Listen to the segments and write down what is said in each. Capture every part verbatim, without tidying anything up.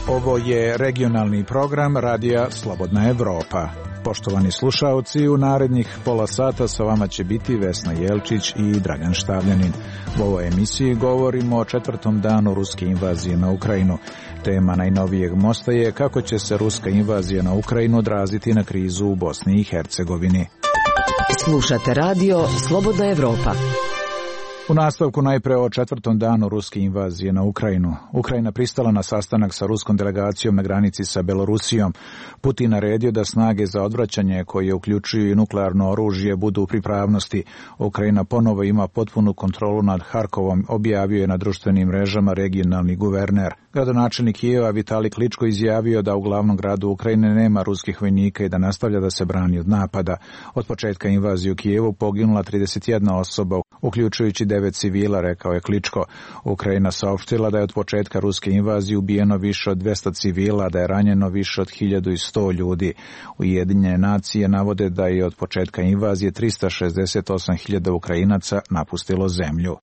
Ovo je regionalni program Radija Slobodna Evropa. Poštovani slušaoci, u narednih pola sata sa vama će biti Vesna Jelčić i Dragan Štavljanin. U ovoj emisiji govorimo o četvrtom danu ruske invazije na Ukrajinu. Tema najnovijeg mosta je kako će se ruska invazija na Ukrajinu odraziti na krizu u Bosni i Hercegovini. Slušate radio Slobodna Evropa. U nastavku najpre o četvrtom danu ruske invazije na Ukrajinu. Ukrajina pristala na sastanak sa ruskom delegacijom na granici sa Belorusijom. Putin naredio da snage za odvraćanje, koje uključuju i nuklearno oružje, budu u pripravnosti. Ukrajina ponovo ima potpunu kontrolu nad Harkovom, objavio je na društvenim mrežama regionalni guverner. Gradonačelnik Kijeva Vitalij Kličko izjavio da u glavnom gradu Ukrajine nema ruskih vojnika i da nastavlja da se brani od napada. Od početka invazije u Kijevu poginula trideset jedna osoba, uključujući devet civila, rekao je Kličko. Ukrajina saopštila da je od početka ruske invazije ubijeno više od dvesta civila, da je ranjeno više od hiljadu sto ljudi. Ujedinjene nacije navode da je od početka invazije trista šezdeset osam hiljada Ukrajinaca napustilo zemlju.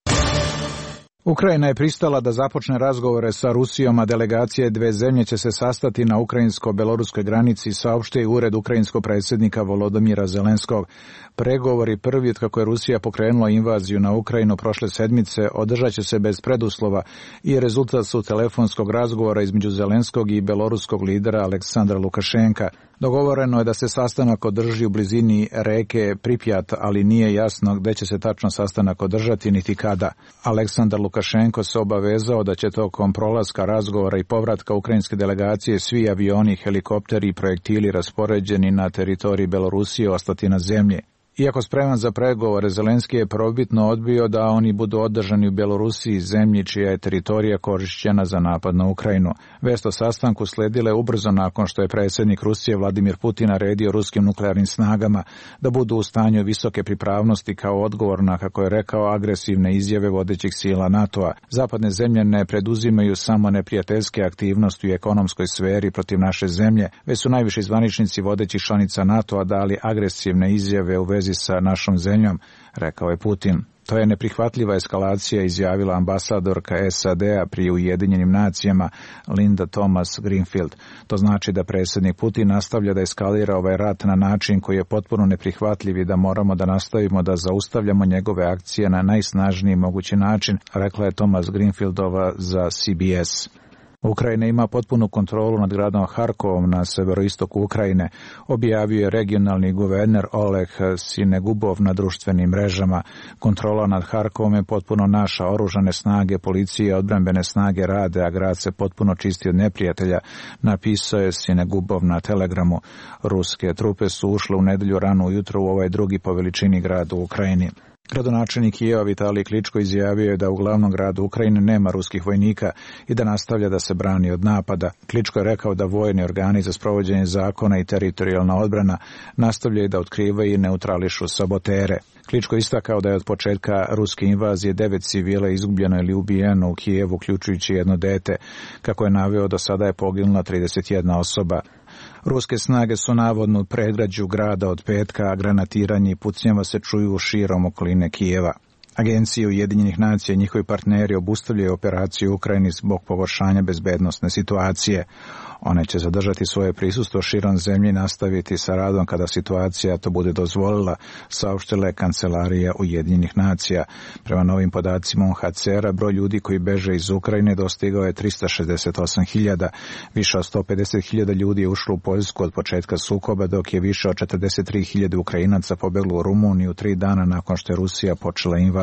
Ukrajina je pristala da započne razgovore sa Rusijom, a delegacije dve zemlje će se sastati na ukrajinsko-beloruskoj granici, saopštio je ured ukrajinskog predsjednika Volodymyra Zelenskog. Pregovori prvi od kako je Rusija pokrenula invaziju na Ukrajinu prošle sedmice održat će se bez preduslova i rezultat su telefonskog razgovora između Zelenskog i beloruskog lidera Aleksandra Lukašenka. Dogovoreno je da se sastanak održi u blizini reke Pripjat, ali nije jasno gde će se tačno sastanak održati niti kada. Aleksandar Lukašenko se obavezao da će tokom prolaska, razgovora i povratka ukrajinske delegacije svi avioni, helikopteri i projektili raspoređeni na teritoriji Belorusije ostati na zemlji. Iako spreman za pregovore, Zelenski je prvobitno odbio da oni budu održani u Belorusiji, zemlji čija je teritorija korišćena za napad na Ukrajinu. Vest o sastanku sledile ubrzo nakon što je predsjednik Rusije Vladimir Putin naredio ruskim nuklearnim snagama da budu u stanju visoke pripravnosti kao odgovor na, kako je rekao, agresivne izjave vodećih sila NATO-a. Zapadne zemlje ne preduzimaju samo neprijateljske aktivnosti u ekonomskoj sferi protiv naše zemlje, već su najviši zvaničnici vodećih članica NATO-a dali agresivne izjave u vezi sa našom zemljom, rekao je Putin. To je neprihvatljiva eskalacija, izjavila ambasadorka S A D-a pri Ujedinjenim nacijama Linda Thomas Greenfield. To znači da predsjednik Putin nastavlja da eskalira ovaj rat na način koji je potpuno neprihvatljiv i da moramo da nastavimo da zaustavljamo njegove akcije na najsnažniji mogući način, rekla je Thomas Greenfieldova za C B S. Ukrajina ima potpunu kontrolu nad gradom Harkovom na severoistoku Ukrajine, objavio je regionalni guverner Oleg Sinegubov na društvenim mrežama. Kontrola nad Harkovom je potpuno naša, oružane snage, policije i odbrambene snage rade, a grad se potpuno čisti od neprijatelja, napisao je Sinegubov na Telegramu. Ruske trupe su ušle u nedelju rano ujutro u ovaj drugi po veličini grad u Ukrajini. Gradonačelnik Kijeva Vitalij Kličko izjavio je da u glavnom gradu Ukrajine nema ruskih vojnika i da nastavlja da se brani od napada. Kličko je rekao da vojni organi za sprovođenje zakona i teritorijalna odbrana nastavljaju da otkrivaju i neutrališu sabotere. Kličko istakao da je od početka ruske invazije devet civila izgubljeno ili ubijeno u Kijevu, uključujući jedno dete. Kako je naveo, do sada je poginula trideset jedna osoba. Ruske snage su navodno u predgrađu grada od petka, a granatiranje i pucnjava se čuju širom okoline Kijeva. Agencije Ujedinjenih nacija i njihovi partneri obustavljaju operaciju u Ukrajini zbog pogoršanja bezbednosne situacije. One će zadržati svoje prisustvo širom zemlje i nastaviti sa radom kada situacija to bude dozvolila, saopštila je Kancelarija Ujedinjenih nacija. Prema novim podacima U N H C R-a, broj ljudi koji beže iz Ukrajine dostigao je trista šezdeset osam hiljada. Više od sto pedeset hiljada ljudi je ušlo u Poljsku od početka sukoba, dok je više od četrdeset tri hiljade Ukrajinaca pobeglo u Rumuniju tri dana nakon što je Rusija počela invaziju.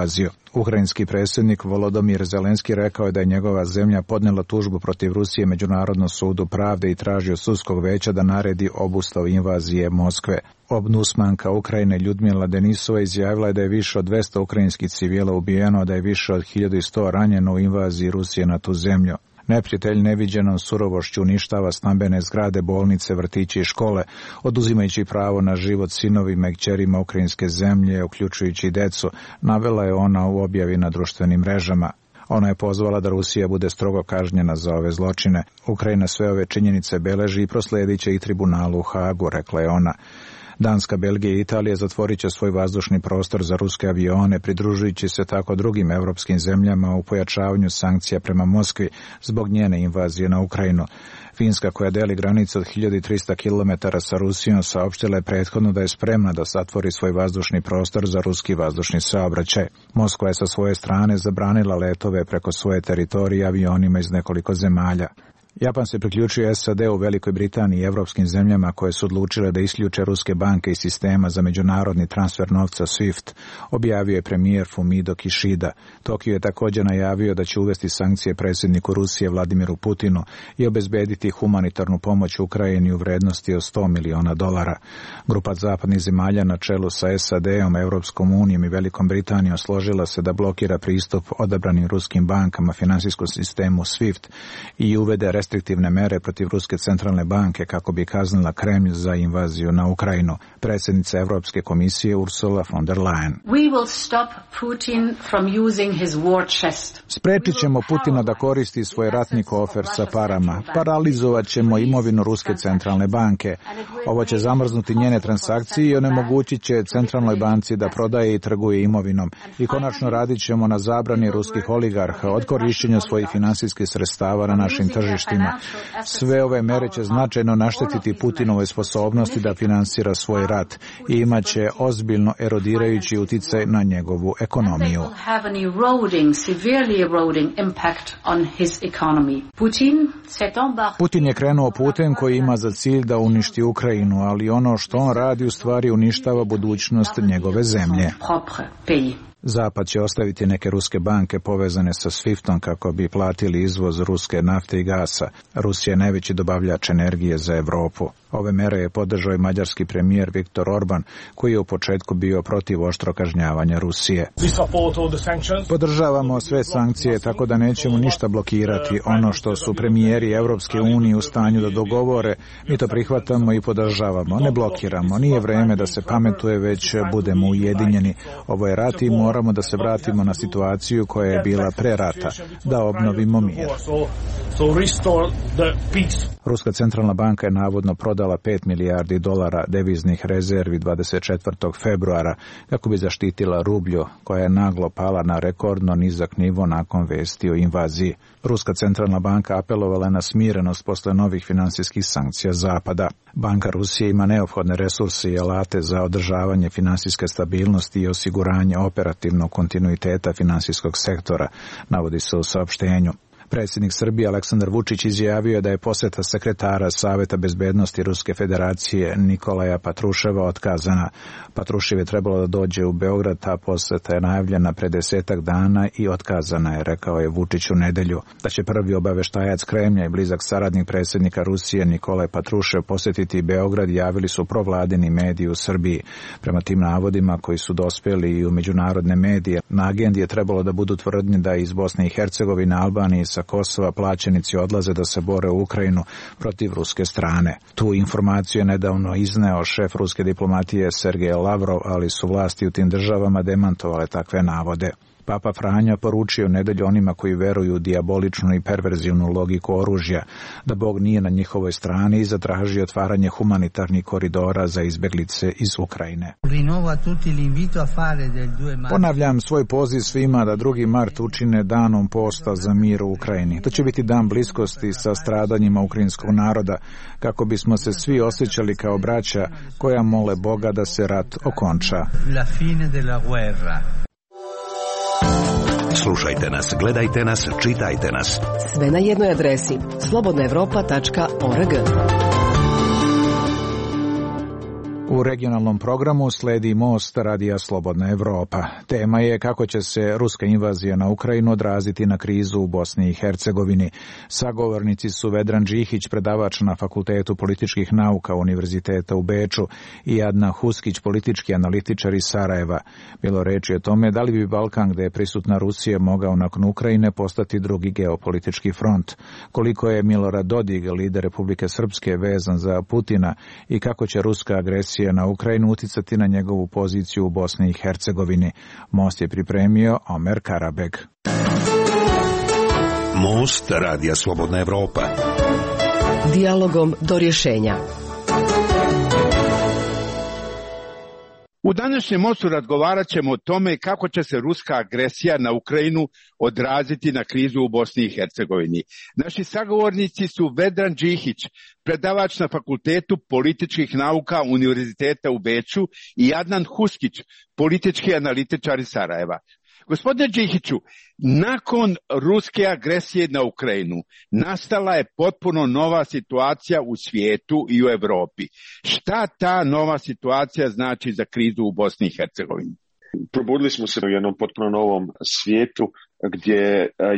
Ukrajinski predsjednik Volodymyr Zelenski rekao je da je njegova zemlja podnijela tužbu protiv Rusije Međunarodnom sudu pravde i traži od sudskog veća da naredi obustavu invazije Moskve. Ombudsmanka Ukrajine Ljudmila Denisova izjavila je da je više od dvesta ukrajinskih civila ubijeno, a da je više od hiljadu sto ranjeno u invaziji Rusije na tu zemlju. Neprijatelj neviđenom surovošću uništava stambene zgrade, bolnice, vrtiće i škole, oduzimajući pravo na život sinovima i kćerima ukrajinske zemlje, uključujući i decu, navela je ona u objavi na društvenim mrežama. Ona je pozvala da Rusija bude strogo kažnjena za ove zločine. Ukrajina sve ove činjenice beleži i prosledit će ih tribunalu u Hagu, rekla je ona. Danska, Belgija i Italija zatvorit će svoj vazdušni prostor za ruske avione, pridružujući se tako drugim europskim zemljama u pojačavanju sankcija prema Moskvi zbog njene invazije na Ukrajinu. Finska, koja deli granicu od hiljadu trista kilometara sa Rusijom, saopštila je prethodno da je spremna da zatvori svoj vazdušni prostor za ruski vazdušni saobraćaj. Moskva je sa svoje strane zabranila letove preko svoje teritorije avionima iz nekoliko zemalja. Japan se priključuje S A D u Velikoj Britaniji i evropskim zemljama koje su odlučile da isključe ruske banke iz sistema za međunarodni transfer novca SWIFT, objavio je premijer Fumio Kishida. Tokio je također najavio da će uvesti sankcije predsjedniku Rusije Vladimiru Putinu i obezbediti humanitarnu pomoć Ukrajini u vrednosti od sto miliona dolara. Grupa zapadnih zemalja na čelu sa S A D-om, Europskom unijom i Velikom Britanijom složila se da blokira pristup odabranim ruskim bankama finansijskom sistemu SWIFT i uvede restriktivne mere protiv Ruske centralne banke kako bi kaznila Kremlj za invaziju na Ukrajinu. Predsjednica Europske komisije Ursula von der Leyen. We will stop Putin from using his war chest. Sprečit ćemo Putina da koristi svoj ratni kofer sa parama. Paralizovat ćemo imovinu Ruske centralne banke. Ovo će zamrznuti njene transakcije i onemogućit će centralnoj banci da prodaje i trguje imovinom. I konačno radit ćemo na zabrani ruskih oligarha od korišćenja svojih finansijskih sredstava na našim tržištima. Sve ove mere će značajno naštetiti Putinove sposobnosti da finansira svoj rat i imat će ozbiljno erodirajući uticaj na njegovu ekonomiju. Putin je krenuo putem koji ima za cilj da uništi Ukrajinu, ali ono što on radi u stvari uništava budućnost njegove zemlje. Zapad će ostaviti neke ruske banke povezane sa SWIFT-om kako bi platili izvoz ruske nafte i gasa. Rusija je najveći dobavljač energije za Europu. Ove mere je podržao i mađarski premijer Viktor Orban, koji je u početku bio protiv oštro kažnjavanja Rusije. Podržavamo sve sankcije, tako da nećemo ništa blokirati. Ono što su premijeri Europske unije u stanju da dogovore, mi to prihvatamo i podržavamo. Ne blokiramo. Nije vreme da se pametuje, već budemo ujedinjeni. Ovo je rat i moramo da se vratimo na situaciju koja je bila pre rata, da obnovimo mir. Ruska centralna banka je navodno prodala pet milijardi dolara deviznih rezervi dvadeset četvrtog februara kako bi zaštitila rublju, koja je naglo pala na rekordno nizak nivo nakon vesti o invaziji. Ruska centralna banka apelovala je na smirenost posle novih finansijskih sankcija Zapada. Banka Rusije ima neophodne resurse i alate za održavanje finansijske stabilnosti i osiguranje operativnog kontinuiteta finansijskog sektora, navodi se u saopštenju. Predsjednik Srbije Aleksandar Vučić izjavio je da je posjeta sekretara Saveta bezbednosti Ruske federacije Nikolaja Patruševa otkazana. Patrušev je trebalo da dođe u Beograd, ta posjeta je najavljena pre desetak dana i otkazana je, rekao je Vučić u nedelju. Da će prvi obaveštajac Kremlja i blizak saradnik predsjednika Rusije Nikolaj Patrušev posjetiti Beograd, javili su provladini mediji u Srbiji. Prema tim navodima koji su dospjeli i u međunarodne medije, na agendi je trebalo da budu tvrdnje da iz Bosne i Hercegovine, Albanije sa Kosova plaćenici odlaze da se bore u Ukrajinu protiv ruske strane. Tu informaciju je nedavno izneo šef ruske diplomatije Sergej Lavrov, ali su vlasti u tim državama demantovale takve navode. Papa Franjo poručio u nedelju onima koji veruju u dijaboličnu i perverzivnu logiku oružja, da Bog nije na njihovoj strani i zatraži otvaranje humanitarnih koridora za izbjeglice iz Ukrajine. Ponavljam svoj poziv svima da drugi mart učine danom posta za mir u Ukrajini. To će biti dan bliskosti sa stradanjima ukrajinskog naroda, kako bismo se svi osjećali kao braća koja mole Boga da se rat okonča. Slušajte nas, gledajte nas, čitajte nas. Sve na jednoj adresi slobodna evropa tačka org. U regionalnom programu sledi Most radija Slobodna Evropa. Tema je kako će se ruska invazija na Ukrajinu odraziti na krizu u Bosni i Hercegovini. Sagovornici su Vedran Džihić, predavač na Fakultetu političkih nauka Univerziteta u Beču, i Adna Huskić, politički analitičar iz Sarajeva. Bilo reči o tome da li bi Balkan, gde je prisutna Rusija, mogao nakon Ukrajine postati drugi geopolitički front. Koliko je Milorad Dodik, lider Republike Srpske, vezan za Putina i kako će ruska agresija na Ukrajinu uticati na njegovu poziciju u Bosni i Hercegovini. Most je pripremio Omer Karabeg. Most radija Slobodna Evropa. Dijalogom do rješenja. U današnjem mostu razgovarat ćemo o tome kako će se ruska agresija na Ukrajinu odraziti na krizu u Bosni i Hercegovini. Naši sagovornici su Vedran Džihić, predavač na Fakultetu političkih nauka Univerziteta u Beču, i Adnan Huskić, politički analitičar iz Sarajeva. Gospodine Džihiću, nakon ruske agresije na Ukrajinu nastala je potpuno nova situacija u svijetu i u Europi. Šta ta nova situacija znači za krizu u Bosni i Hercegovini? Probudili smo se u jednom potpuno novom svijetu gdje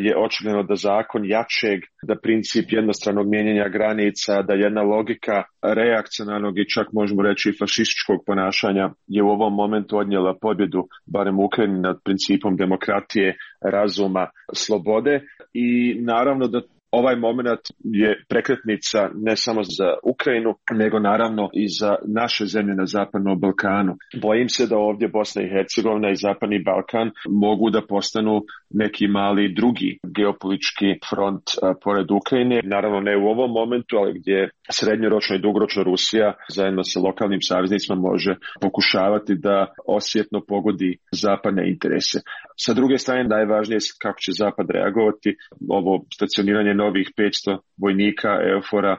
je očigledno da zakon jačeg, da princip jednostranog mijenjanja granica, da jedna logika reakcionarnog i čak možemo reći fašističkog ponašanja je u ovom momentu odnijela pobjedu, barem u Ukrajini, nad principom demokratije, razuma, slobode. I naravno da ovaj moment je prekretnica ne samo za Ukrajinu, nego naravno i za naše zemlje na Zapadnom Balkanu. Bojim se da ovdje Bosna i Hercegovina i Zapadni Balkan mogu da postanu neki mali drugi geopolitički front a, pored Ukrajine. Naravno ne u ovom momentu, ali gdje srednjoročno i dugoročno Rusija zajedno sa lokalnim saveznicima može pokušavati da osjetno pogodi zapadne interese. Sa druge strane, najvažnije je kako će Zapad reagovati. Ovo stacioniranje novih petsto vojnika EUFOR-a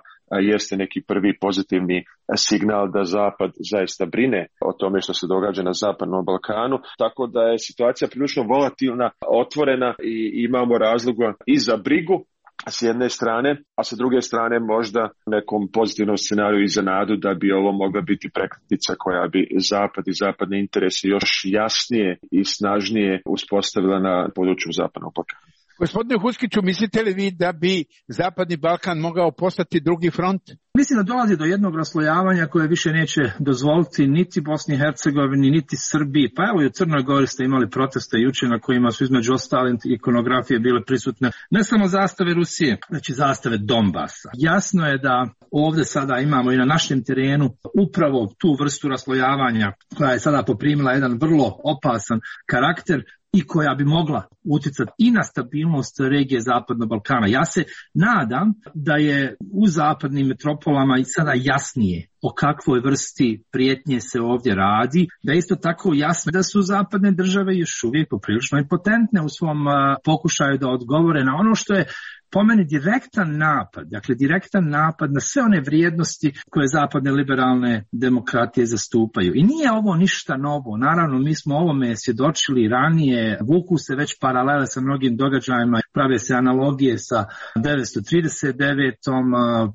jeste neki prvi pozitivni signal da Zapad zaista brine o tome što se događa na Zapadnom Balkanu, tako da je situacija prilično volatilna, otvorena i imamo razloga i za brigu s jedne strane, a sa druge strane možda nekom pozitivnom scenariju i za nadu da bi ovo mogla biti prekretnica koja bi Zapad i zapadne interese još jasnije i snažnije uspostavila na području Zapadnog Balkana. Gospodine Huskiću, mislite li vi da bi Zapadni Balkan mogao postati drugi front? Mislim da dolazi do jednog raslojavanja koje više neće dozvoliti niti Bosni i Hercegovini, niti Srbiji. Pa evo i u Crnoj Gori ste imali proteste jučer na kojima su između ostalih ikonografije bile prisutne ne samo zastave Rusije, već i zastave Donbasa. Jasno je da ovdje sada imamo i na našem terenu upravo tu vrstu raslojavanja koja je sada poprimila jedan vrlo opasan karakter i koja bi mogla utjecati i na stabilnost regije Zapadnog Balkana. Ja se nadam da je u zapadnim metropolama i sada jasnije o kakvoj vrsti prijetnje se ovdje radi, da je isto tako jasno da su zapadne države još uvijek poprilično impotentne u svom uh, pokušaju da odgovore na ono što je po meni direktan napad, dakle direktan napad na sve one vrijednosti koje zapadne liberalne demokratije zastupaju. I nije ovo ništa novo. Naravno, mi smo ovome svjedočili ranije, vuku se već paralele sa mnogim događajima, prave se analogije sa devetsto trideset devetom,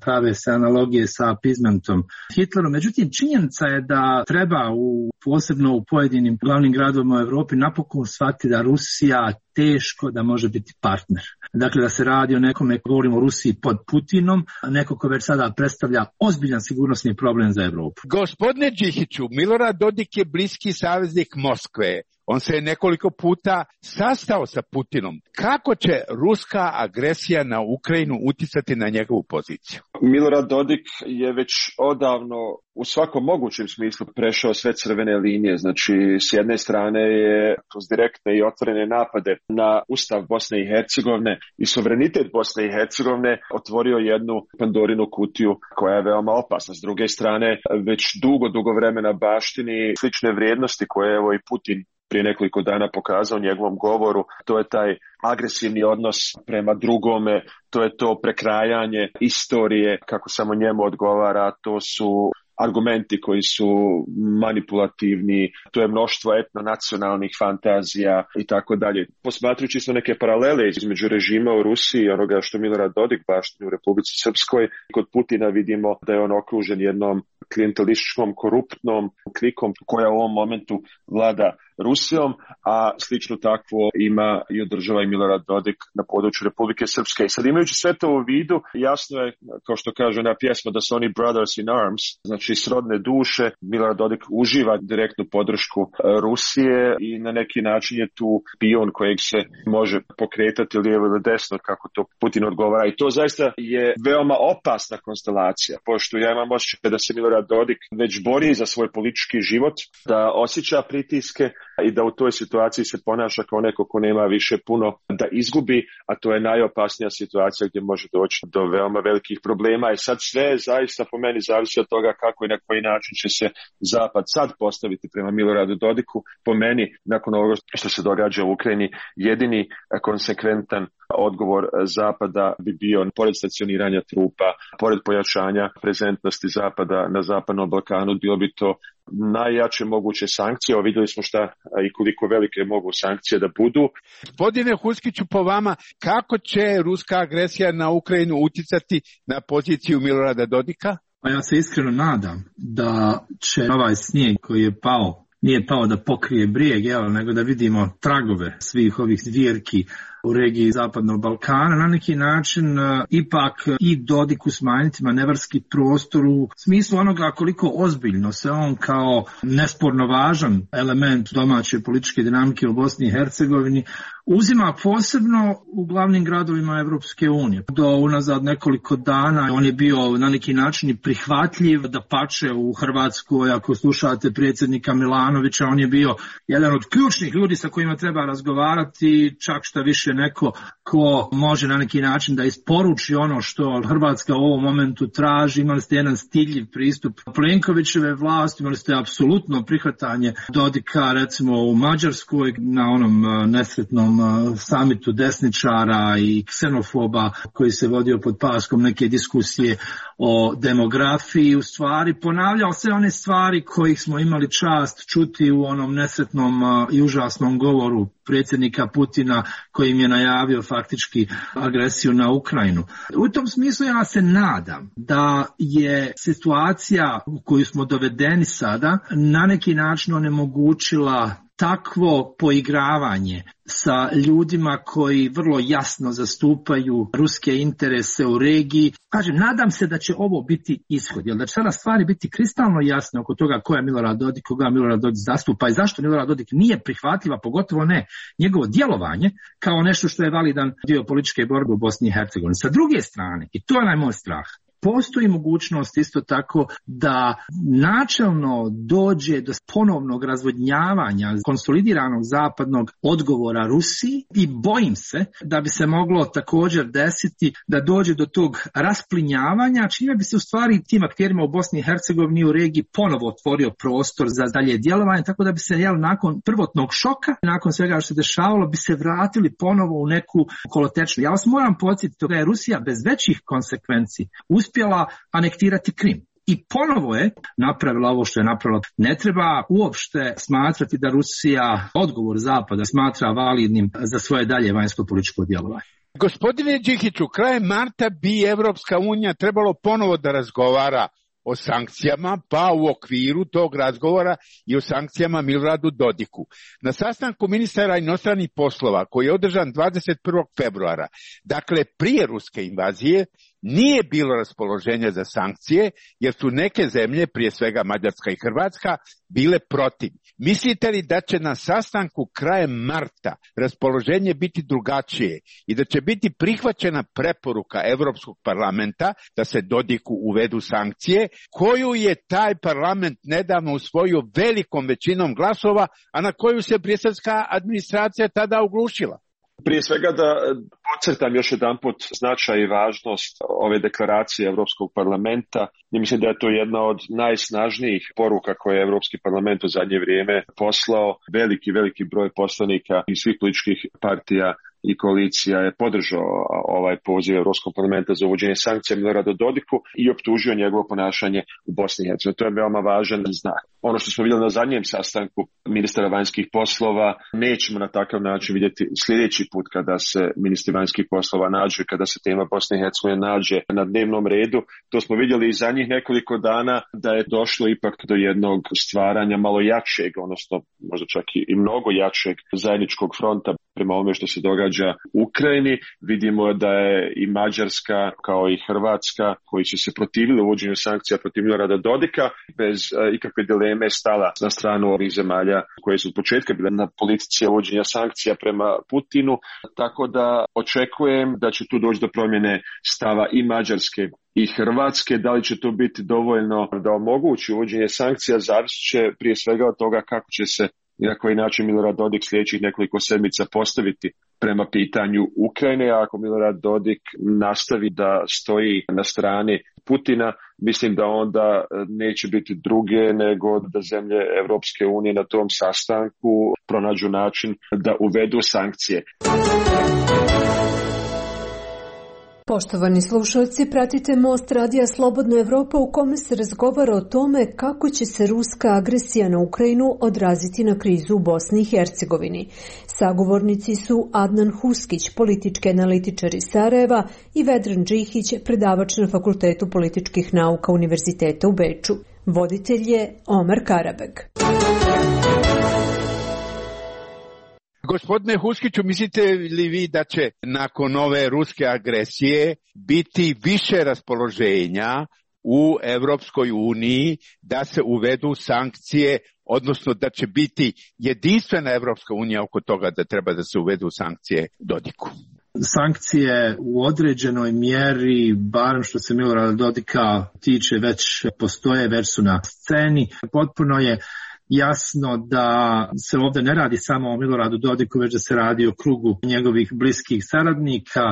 prave se analogije sa appeasementom Hitleru. Međutim, činjenica je da treba u, posebno u pojedinim glavnim gradovima u Europi napokon shvatiti da Rusija teško da može biti partner. Dakle, da se radi o nekome, govorimo o Rusiji pod Putinom, neko ko već sada predstavlja ozbiljan sigurnosni problem za Europu. Gospodine Džihiću, Milorad Dodik je bliski saveznik Moskve. On se je nekoliko puta sastao sa Putinom. Kako će ruska agresija na Ukrajinu utjecati na njegovu poziciju? Milorad Dodik je već odavno u svakom mogućem smislu prešao sve crvene linije. Znači, s jedne strane je kroz direktne i otvorene napade na Ustav Bosne i Hercegovine i suverenitet Bosne i Hercegovine otvorio jednu Pandorinu kutiju koja je veoma opasna. S druge strane, već dugo, dugo vremena baštini slične vrijednosti koje je evo i Putin prije nekoliko dana pokazao u njegovom govoru. To je taj agresivni odnos prema drugome, to je to prekrajanje istorije kako samo njemu odgovara, to su argumenti koji su manipulativni, to je mnoštvo etnonacionalnih fantazija i tako dalje. Posmatrujući su neke paralele između režima u Rusiji i onoga što Milorad Dodik baštini u Republici Srpskoj, kod Putina vidimo da je on okružen jednom klijentelističkom, koruptnom klikom koja u ovom momentu vlada Rusijom, a slično takvo ima i održava i Milorad Dodik na području Republike Srpske. I sad imajući sve to u vidu, jasno je, kao što kaže ona pjesma, da su oni brothers in arms, znači srodne duše. Milorad Dodik uživa direktnu podršku Rusije i na neki način je tu pion kojeg se može pokretati lijevo ili desno, kako to Putin odgovara. I to zaista je veoma opasna konstelacija, pošto ja imam osjećaj da se Milorad Dodik već bori za svoj politički život, da osjeća pritiske i da u toj situaciji se ponaša kao neko ko nema više puno da izgubi, a to je najopasnija situacija gdje može doći do veoma velikih problema. I sad sve zaista po meni zavisi od toga kako i na koji način će se Zapad sad postaviti prema Miloradu Dodiku. Po meni, nakon ovoga što se događa u Ukrajini, jedini konsekventan odgovor Zapada bi bio, pored stacioniranja trupa, pored pojačanja prezentnosti Zapada na Zapadnom Balkanu, bilo bi to najjače moguće sankcije. O, vidjeli smo šta i koliko velike mogu sankcije da budu. Gospodine Huskiću, po vama, kako će ruska agresija na Ukrajinu uticati na poziciju Milorada Dodika? Pa ja se iskreno nadam da će ovaj snijeg koji je pao, nije pao da pokrije brijeg, jel, nego da vidimo tragove svih ovih zvjerki u regiji Zapadnog Balkana, na neki način uh, ipak i Dodiku smanjiti manevarski prostor u smislu onoga koliko ozbiljno se on kao nesporno važan element domaće političke dinamike u Bosni i Hercegovini uzima posebno u glavnim gradovima Evropske unije. Do unazad nekoliko dana on je bio na neki način prihvatljiv, da pače u Hrvatskoj, ako slušate predsjednika Milanovića, on je bio jedan od ključnih ljudi sa kojima treba razgovarati, čak šta više neko ko može na neki način da isporuči ono što Hrvatska u ovom momentu traži. Imali ste jedan stidljiv pristup Plenkovićeve vlasti, imali ste apsolutno prihvatanje Dodika recimo u Mađarskoj na onom nesretnom samitu desničara i ksenofoba koji se vodio pod paskom neke diskusije o demografiji. U stvari ponavljao sve one stvari kojih smo imali čast čuti u onom nesretnom i užasnom govoru predsjednika Putina kojim je najavio faktički agresiju na Ukrajinu. U tom smislu ja se nadam da je situacija u koju smo dovedeni sada na neki način onemogućila takvo poigravanje sa ljudima koji vrlo jasno zastupaju ruske interese u regiji. Kažem, nadam se da će ovo biti ishod, jer da će sada stvari biti kristalno jasne oko toga ko je Milorad Dodik, koga Milorad Dodik zastupa i zašto Milorad Dodik nije prihvatljiva, pogotovo ne njegovo djelovanje kao nešto što je validan dio političke borbe u Bosni i Hercegovini. Sa druge strane, i to je najmoj strah, postoji mogućnost isto tako da načelno dođe do ponovnog razvodnjavanja konsolidiranog zapadnog odgovora Rusiji i bojim se da bi se moglo također desiti da dođe do tog rasplinjavanja, čime bi se u stvari tim akterima u Bosni i Hercegovini u regiji ponovo otvorio prostor za dalje djelovanje, tako da bi se jel, nakon prvotnog šoka, nakon svega što se dešavalo, bi se vratili ponovo u neku kolotečnu. Ja vas moram podsjetiti da je Rusija bez većih konsekvenci uspjela anektirati Krim. I ponovo je napravila ovo što je napravila. Ne treba uopšte smatrati da Rusija odgovor Zapada smatra validnim za svoje dalje vanjsko-političko djelovanje. Gospodine Đikiću, krajem marta bi Evropska unija trebalo ponovo da razgovara o sankcijama, pa u okviru tog razgovora i o sankcijama Miloradu Dodiku. Na sastanku ministara inostranih poslova koji je održan dvadeset prvog februara, dakle prije ruske invazije, nije bilo raspoloženja za sankcije, jer su neke zemlje, prije svega Mađarska i Hrvatska, bile protiv. Mislite li da će na sastanku krajem marta raspoloženje biti drugačije i da će biti prihvaćena preporuka Europskog parlamenta da se Dodiku uvedu sankcije, koju je taj parlament nedavno usvojio velikom većinom glasova, a na koju se briselska administracija tada oglušila? Prije svega da podcrtam još jedanput značaj i važnost ove deklaracije Europskog parlamenta. I mislim da je to jedna od najsnažnijih poruka koje je Europski parlament u zadnje vrijeme poslao. Veliki, veliki broj poslanika iz svih političkih partija i koalicija je podržao ovaj poziv Europskog parlamenta za uvođenje sankcija Miloradu Dodiku i optužio njegovo ponašanje u Bosni i Hercegovini. To je veoma važan znak. Ono što smo vidjeli na zadnjem sastanku ministara vanjskih poslova nećemo na takav način vidjeti sljedeći put kada se ministri vanjskih poslova nađu i kada se tema Bosne i Hercegovine nađe na dnevnom redu. To smo vidjeli i zadnjih nekoliko dana da je došlo ipak do jednog stvaranja malo jačeg, odnosno možda čak i mnogo jačeg zajedničkog fronta prema ovome što se događa u Ukrajini. Vidimo da je i Mađarska kao i Hrvatska koji su se protivili uvođenju sankcija protiv Milorada Dodika bez uh, ikakve dileme stala na stranu ovih zemalja koje su od početka bile na politici uvođenja sankcija prema Putinu. Tako da očekujem da će tu doći do promjene stava i Mađarske i Hrvatske. Da li će to biti dovoljno da omogući uvođenje sankcija, zavisit će prije svega od toga kako će se i na koji način Milorad Dodik sljedećih nekoliko sedmica postaviti prema pitanju Ukrajine. A ako Milorad Dodik nastavi da stoji na strani Putina, mislim da onda neće biti druge nego da zemlje Europske unije na tom sastanku pronađu način da uvedu sankcije. Poštovani slušalci, pratite Most radija Slobodna Evropa u kome se razgovara o tome kako će se ruska agresija na Ukrajinu odraziti na krizu u Bosni i Hercegovini. Sagovornici su Adnan Huskić, politički analitičar iz Sarajeva, i Vedran Džihić, predavač na Fakultetu političkih nauka Univerziteta u Beču. Voditelj je Omar Karabeg. Gospodine Huskiću, mislite li vi da će nakon ove ruske agresije biti više raspoloženja u Evropskoj uniji da se uvedu sankcije, odnosno da će biti jedinstvena Evropska unija oko toga da treba da se uvedu sankcije Dodiku? Sankcije u određenoj mjeri, barem što se Milorada Dodika tiče, već postoje, već su na sceni. Potpuno je jasno da se ovdje ne radi samo o Miloradu Dodiku, već da se radi o krugu njegovih bliskih saradnika,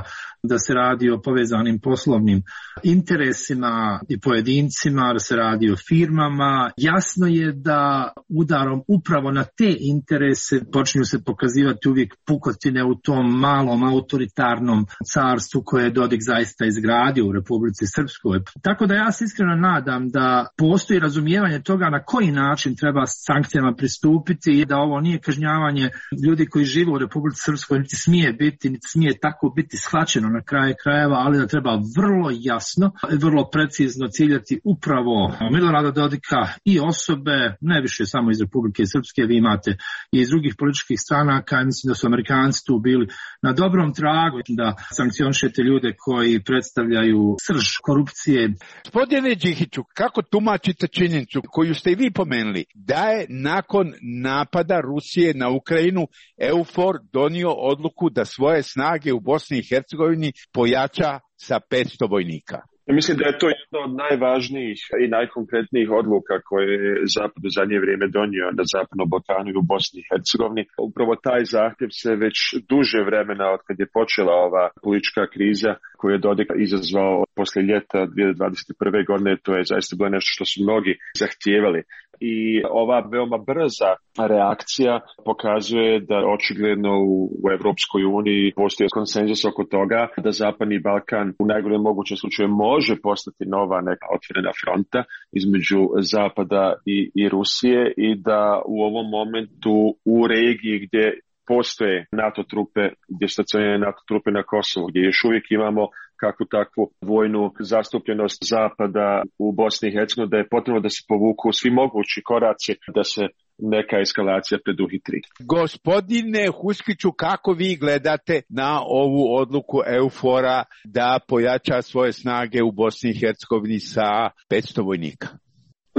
da se radi o povezanim poslovnim interesima i pojedincima, da se radi o firmama. Jasno je da udarom upravo na te interese počinju se pokazivati uvijek pukotine u tom malom autoritarnom carstvu koje je Dodik zaista izgradio u Republici Srpskoj. Tako da ja se iskreno nadam da postoji razumijevanje toga na koji način treba sankcijama pristupiti i da ovo nije kažnjavanje ljudi koji žive u Republici Srpskoj, niti smije biti, niti smije tako biti shvaćeno na kraju krajeva, ali da treba vrlo jasno i vrlo precizno ciljati upravo Milorada Dodika i osobe, ne više samo iz Republike Srpske, vi imate i iz drugih političkih stranaka, i mislim da su Amerikanci tu bili na dobrom tragu da sankcionišete ljude koji predstavljaju srž korupcije. Gospodine Džihiću, kako tumačite činjenicu koju ste i vi pomenuli, da je nakon napada Rusije na Ukrajinu EUFOR donio odluku da svoje snage u Bosni i Hercegovini pojača sa petsto vojnika? Ja mislim da je to jedna od najvažnijih i najkonkretnijih odluka koje je Zapad u zadnje vrijeme donio na Zapadnom Balkanu i u Bosni i Hercegovini. Upravo taj zahtjev se već duže vremena od kad je počela ova politička kriza koju je Dodik izazvao poslije ljeta dvije tisuće dvadeset prve. godine, to je zaista bilo nešto što su mnogi zahtijevali. I ova veoma brza reakcija pokazuje da očigledno u, u Europskoj uniji postoji konsenzus oko toga da Zapadni Balkan u najgorem mogućem slučaju može postati nova neka otvorena fronta između Zapada i, i Rusije i da u ovom momentu u regiji gdje postoje NATO trupe, gdje stacioniraju NATO trupe na Kosovu, gdje još uvijek imamo kakvu takvu vojnu zastupljenost Zapada u Bosni i Hercegovini, da je potrebno da se povuku svi mogući koraci da se neka eskalacija preduhitri. Gospodine Huskiću, kako vi gledate na ovu odluku EUFOR-a da pojača svoje snage u Bosni i Hercegovini sa petsto vojnika?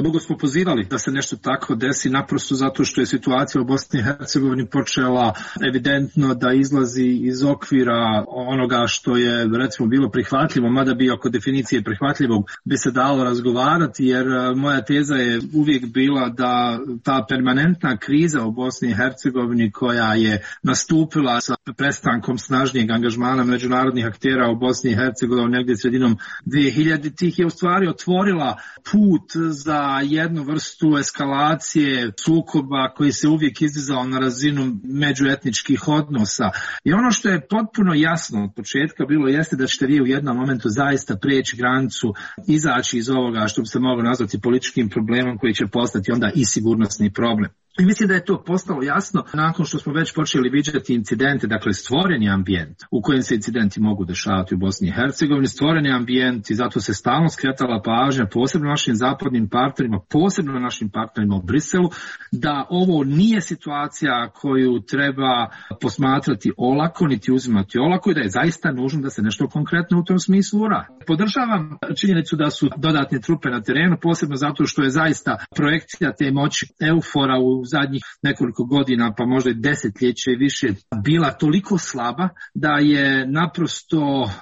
Dugo smo pozivali da se nešto tako desi, naprosto zato što je situacija u Bosni i Hercegovini počela evidentno da izlazi iz okvira onoga što je recimo bilo prihvatljivo, mada bi oko definicije prihvatljivog bi se dalo razgovarati, jer moja teza je uvijek bila da ta permanentna kriza u Bosni i Hercegovini koja je nastupila sa prestankom snažnijeg angažmana međunarodnih aktera u Bosni i Hercegovini negdje sredinom dvije hiljaditih je u stvari otvorila put za jednu vrstu eskalacije sukoba koji se uvijek izdizao na razinu međuetničkih odnosa. I ono što je potpuno jasno od početka bilo jeste da ćete vi u jednom momentu zaista prijeći granicu, izaći iz ovoga što bi se moglo nazvati političkim problemom koji će postati onda i sigurnosni problem. I mislim da je to postalo jasno nakon što smo već počeli viđati incidente, dakle stvoreni ambijent u kojem se incidenti mogu dešavati u Bosni i Hercegovini, stvoreni ambijent i zato se stalno skretala pažnja posebno našim zapadnim partnerima, posebno našim partnerima u Briselu, da ovo nije situacija koju treba posmatrati olako, niti uzimati olako i da je zaista nužno da se nešto konkretno u tom smislu uradi. Podržavam činjenicu da su dodatne trupe na terenu, posebno zato što je zaista projekcija te moći EUFOR-a u u zadnjih nekoliko godina, pa možda i desetljeće i više, bila toliko slaba da je naprosto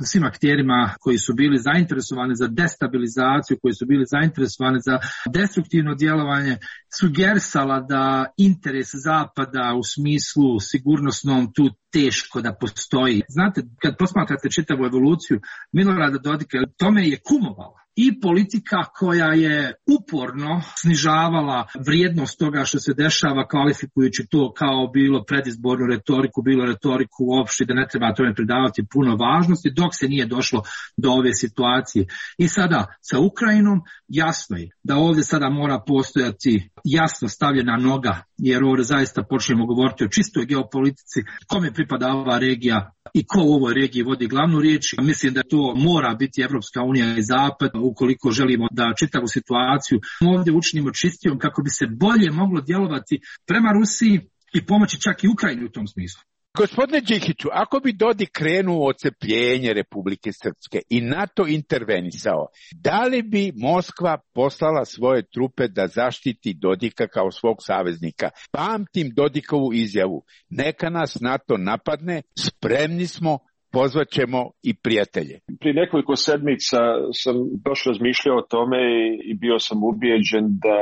svim akterima koji su bili zainteresovani za destabilizaciju, koji su bili zainteresovani za destruktivno djelovanje, sugerisala da interes Zapada u smislu sigurnosnom tu teško da postoji. Znate, kad posmatrate čitavu evoluciju Milorada Dodika, tome je kumovalo i politika koja je uporno snižavala vrijednost toga što se dešava, kvalifikujući to kao bilo predizbornu retoriku, bilo retoriku uopšte, da ne treba tome pridavati puno važnosti, dok se nije došlo do ove situacije. I sada sa Ukrajinom jasno je da ovdje sada mora postojati jasno stavljena noga, jer ovdje zaista počnemo govoriti o čistoj geopolitici, kome pripada ova regija i ko u ovoj regiji vodi glavnu riječ. Mislim da to mora biti Evropska unija i Zapad, ukoliko želimo da čitavu situaciju ovdje učinimo čistijom kako bi se bolje moglo djelovati prema Rusiji i pomoći čak i Ukrajini u tom smislu. Gospodine Đikiću, ako bi Dodik krenuo odcepljenje Republike Srpske i NATO intervenisao, da li bi Moskva poslala svoje trupe da zaštiti Dodika kao svog saveznika? Pamtim Dodikovu izjavu, neka nas NATO napadne, spremni smo, pozvaćemo i prijatelje. Prije nekoliko sedmica sam baš razmišljao o tome i bio sam ubijeđen da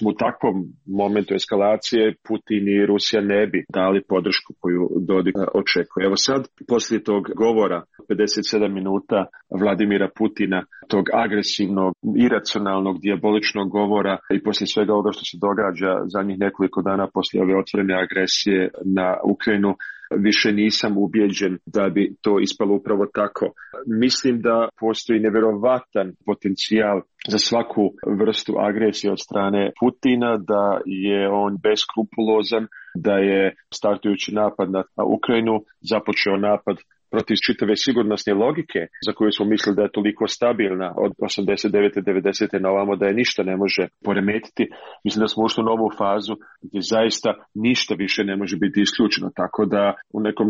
u takvom momentu eskalacije Putin i Rusija ne bi dali podršku koju Dodik očekuje. Evo sad, poslije tog govora pedeset sedam minuta Vladimira Putina, tog agresivnog, iracionalnog, dijaboličnog govora i poslije svega ovoga što se događa zadnjih nekoliko dana poslije ove otvorene agresije na Ukrajinu, više nisam ubijeđen da bi to ispalo upravo tako. Mislim da postoji nevjerovatan potencijal za svaku vrstu agresije od strane Putina, da je on beskrupulozan, da je startujući napad na Ukrajinu započeo napad protiv čitave sigurnosne logike za koju smo mislili da je toliko stabilna od osamdeset devete devedesete na ovamo da je ništa ne može poremetiti. Mislim da smo ušli u novu fazu gdje zaista ništa više ne može biti isključeno. Tako da u nekom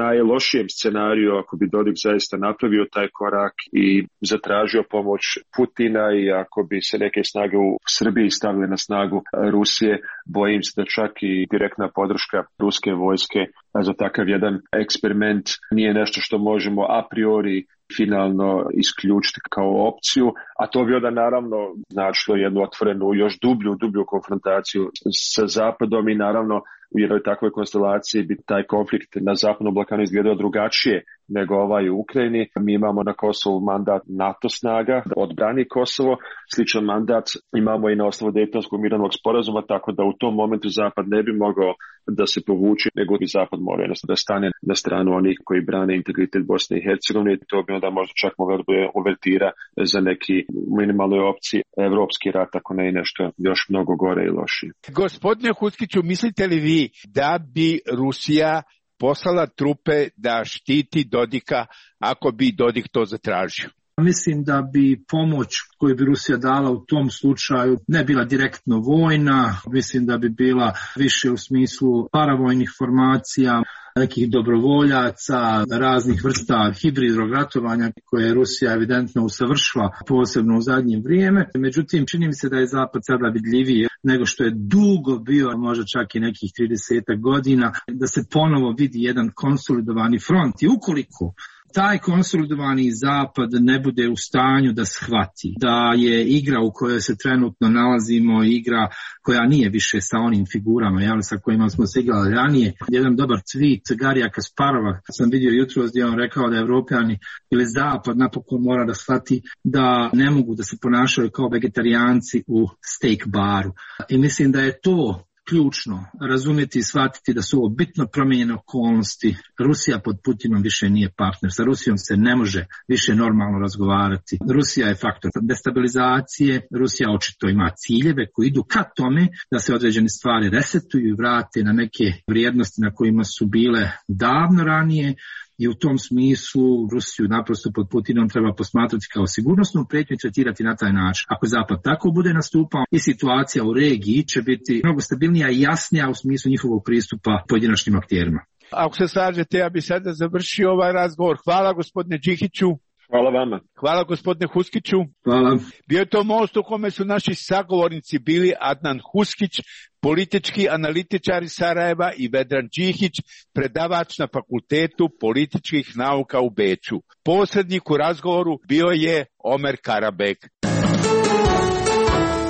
najlošijem scenariju, ako bi Dodik zaista napravio taj korak i zatražio pomoć Putina i ako bi se neke snage u Srbiji stavile na snagu Rusije, bojim se da čak i direktna podrška ruske vojske za takav jedan eksperiment nije nešto što možemo a priori finalno isključiti kao opciju, a to bi onda naravno značilo jednu otvorenu, još dublju, dublju konfrontaciju sa Zapadom i naravno u jednoj takvoj konstelaciji bi taj konflikt na Zapadnom Balkanu izgledao drugačije nego ovaj u Ukrajini. Mi imamo na Kosovu mandat NATO snaga da odbrani Kosovo, sličan mandat imamo i na osnovu Dejtonskog mirovnog sporazuma, tako da u tom momentu Zapad ne bi mogao da se povuče, nego bi Zapad morao da stane na stranu onih koji brane integritet Bosne i Hercegovine. To bi onda možda čak mogla da bude uvertira za neki minimalnoj opciji evropski rat, ako ne i nešto još mnogo gore i lošije. Gospodine Huckiću, mislite li vi da bi Rusija poslala trupe da štiti Dodika ako bi Dodik to zatražio? Mislim da bi pomoć koju bi Rusija dala u tom slučaju ne bila direktno vojna, mislim da bi bila više u smislu paravojnih formacija, nekih dobrovoljaca, raznih vrsta hibridnog ratovanja koje je Rusija evidentno usavršila posebno u zadnje vrijeme. Međutim, čini mi se da je Zapad sada vidljiviji nego što je dugo bio, možda čak i nekih trideset godina, da se ponovo vidi jedan konsolidovani front. I ukoliko taj konsolidovani Zapad ne bude u stanju da shvati da je igra u kojoj se trenutno nalazimo igra koja nije više sa onim figurama jel, sa kojima smo se igrali ranije. Jedan dobar tweet Garija Kasparova sam vidio jutros gdje on rekao da Evropljani ili Zapad napokon mora da shvati da ne mogu da se ponašaju kao vegetarijanci u steak baru. I mislim da je to ključno razumjeti i shvatiti da su ovo bitno promijenjene okolnosti. Rusija pod Putinom više nije partner. Sa Rusijom se ne može više normalno razgovarati. Rusija je faktor destabilizacije. Rusija očito ima ciljeve koji idu ka tome da se određene stvari resetuju i vrate na neke vrijednosti na kojima su bile davno ranije. I u tom smislu Rusiju naprosto pod Putinom treba posmatrati kao sigurnosnu prijetnju i tretirati na taj način. Ako Zapad tako bude nastupao i situacija u regiji će biti mnogo stabilnija i jasnija u smislu njihovog pristupa pojedinačnim akterima. Ako se slažete, ja bi sada završio ovaj razgovor. Hvala gospodine Đikiću. Hvala vama. Hvala gospodine Huskiću. Hvala. Bio je to most u kome su naši sagovornici bili Adnan Huskić, politički analitičar iz Sarajeva, i Vedran Đihić, predavač na Fakultetu političkih nauka u Beču. Posrednik u razgovoru bio je Omer Karabek.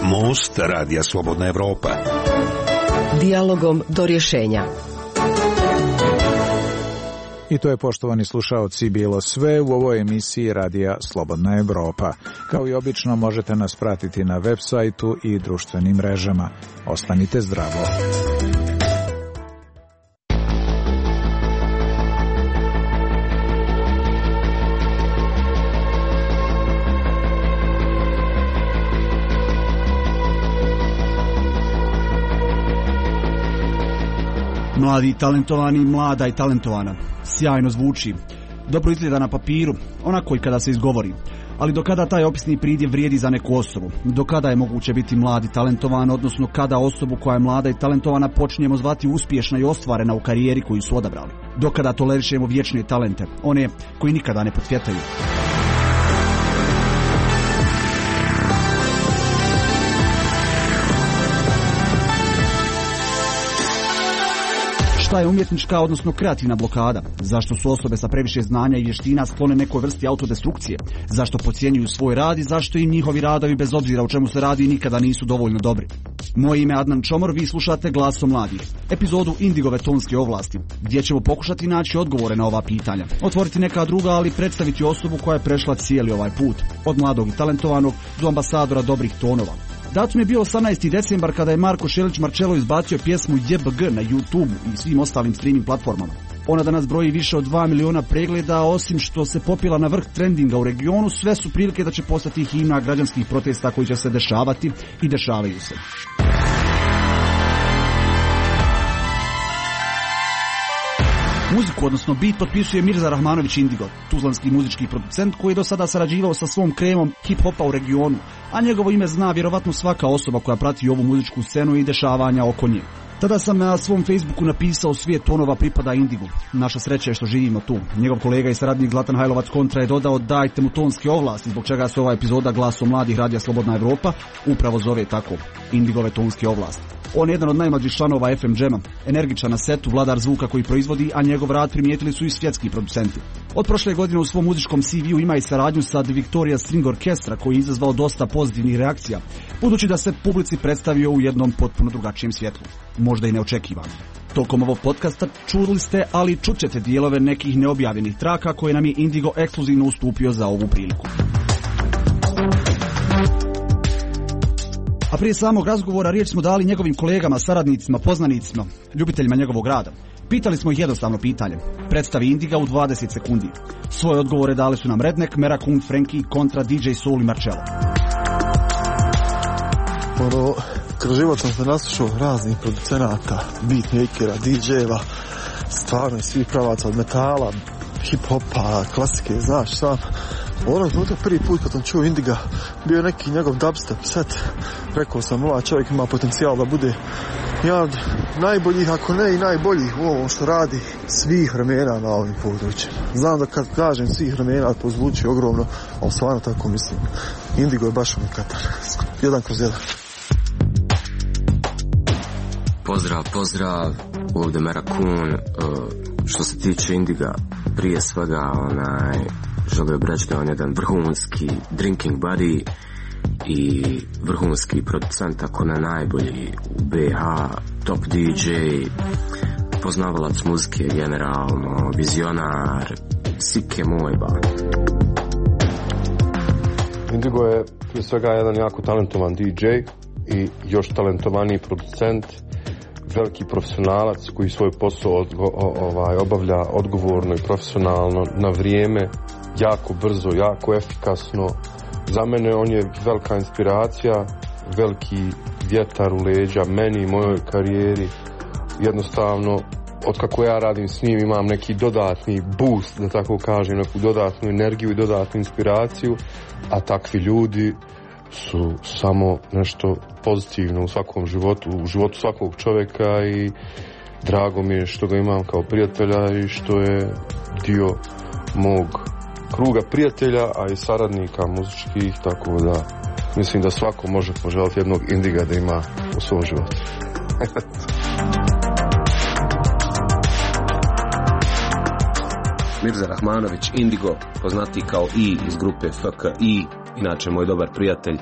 Most Radija Slobodna Evropa. Dijalogom do rješenja. I to je, poštovani slušaoci, bilo sve u ovoj emisiji Radija Slobodna Evropa. Kao i obično, možete nas pratiti na web sajtu i društvenim mrežama. Ostanite zdravo. Mladi i talentovani, mlada i talentovana. Sjajno zvuči. Dobro izgleda na papiru, onako i kada se izgovori. Ali do kada taj opisni pridjev vrijedi za neku osobu? Do kada je moguće biti mlad i talentovan, odnosno kada osobu koja je mlada i talentovana počinjemo zvati uspješna i ostvarena u karijeri koju su odabrali? Do kada tolerišemo vječne talente, one koji nikada ne potvjetaju? Šta je umjetnička, odnosno kreativna blokada? Zašto su osobe sa previše znanja i vještina sklone nekoj vrsti autodestrukcije? Zašto podcjenjuju svoj rad i zašto im njihovi radovi, bez obzira o čemu se radi, nikada nisu dovoljno dobri? Moje ime je Adnan Čomor, vi slušate Glasom mladih, epizodu Indigove tonske ovlasti, gdje ćemo pokušati naći odgovore na ova pitanja, otvoriti neka druga, ali predstaviti osobu koja je prešla cijeli ovaj put, od mladog i talentovanog do ambasadora dobrih tonova. Datum je bio osamnaesti decembar kada je Marko Šelić Marčelo izbacio pjesmu J B G na YouTube i svim ostalim streaming platformama. Ona danas broji više od dva miliona pregleda, a osim što se popila na vrh trendinga u regionu, sve su prilike da će postati himna građanskih protesta koji će se dešavati i dešavaju se. Muziku, odnosno beat, potpisuje Mirza Rahmanović Indigo, tuzlanski muzički producent koji je do sada sarađivao sa svom kremom hip-hopa u regionu, a njegovo ime zna vjerovatno svaka osoba koja prati ovu muzičku scenu i dešavanja oko nje. Tada sam na svom Facebooku napisao svijet tonova pripada Indigu. Naša sreća je što živimo tu. Njegov kolega i saradnik Zlatan Hajlovac Kontra je dodao dajte mu tonske ovlasti, zbog čega se ova epizoda Glasom mladih Radija Slobodna Evropa upravo zove tako, Indigove tonske ovlasti. On je jedan od najmlađih članova F M Jama, energičan na setu, vladar zvuka koji proizvodi, a njegov rad primijetili su i svjetski producenti. Od prošle godine u svom muzičkom C V-u ima i saradnju sa The Victoria String Orchestra koji je izazvao dosta pozitivnih reakcija, budući da se publici predstavio u jednom potpuno drugačijem svjetlu, možda i neočekivano. Tokom ovog podcasta čuli ste, ali čućete dijelove nekih neobjavljenih traka koje nam je Indigo ekskluzivno ustupio za ovu priliku. A prije samog razgovora riječ smo dali njegovim kolegama, saradnicima, poznanicima, ljubiteljima njegovog rada. Pitali smo ih jednostavno pitanje. Predstavi Indiga u dvadeset sekundi. Svoje odgovore dali su nam Redneck, Merakun, Frankie, Kontra, D J Soul i Marcello. Ono, kroz život sam se naslušao raznih producenata, beatmakera, D J-eva, stvarno i svih pravaca od metala, hip-hopa, klasike, znaš sam. Ono je prvi put kad sam čuo Indiga, bio je neki njegov dubstep set. Rekao sam, ovaj čovjek ima potencijal da bude jedan od najboljih, ako ne i najboljih u ovom što radi svih vremena na ovim područjima. Znam da kad kažem svih vremena to zvuči ogromno, ali stvarno tako mislim. Indigo je baš unikatan. Jedan kroz jedan. Pozdrav, pozdrav, ovdje Merakun. Što se tiče Indiga, prije svega onaj, želio bih reći da on je jedan vrhunski drinking buddy i vrhunski producent, ako ne najbolji u B H, top D J, poznavalac muzike generalno, vizionar, sike moj ba. Indigo je prije svega jedan jako talentovan D J i još talentovaniji producent, veliki profesionalac koji svoj posao odgo, ovaj, obavlja odgovorno i profesionalno, na vrijeme, jako brzo, jako efikasno. Za mene on je velika inspiracija, veliki vjetar u leđa meni i mojoj karijeri. Jednostavno, otkako ja radim s njim imam neki dodatni boost, da tako kažem, neku dodatnu energiju i dodatnu inspiraciju, a takvi ljudi su samo nešto pozitivno u svakom životu, u životu svakog čovjeka i drago mi je što ga imam kao prijatelja i što je dio mog kruga prijatelja, a i saradnika muzičkih, tako da mislim da svako može poželiti jednog Indiga da ima u svom životu. Mirza Rahmanović, Indigo, poznatiji kao I iz grupe F K I, inače moj dobar prijatelj,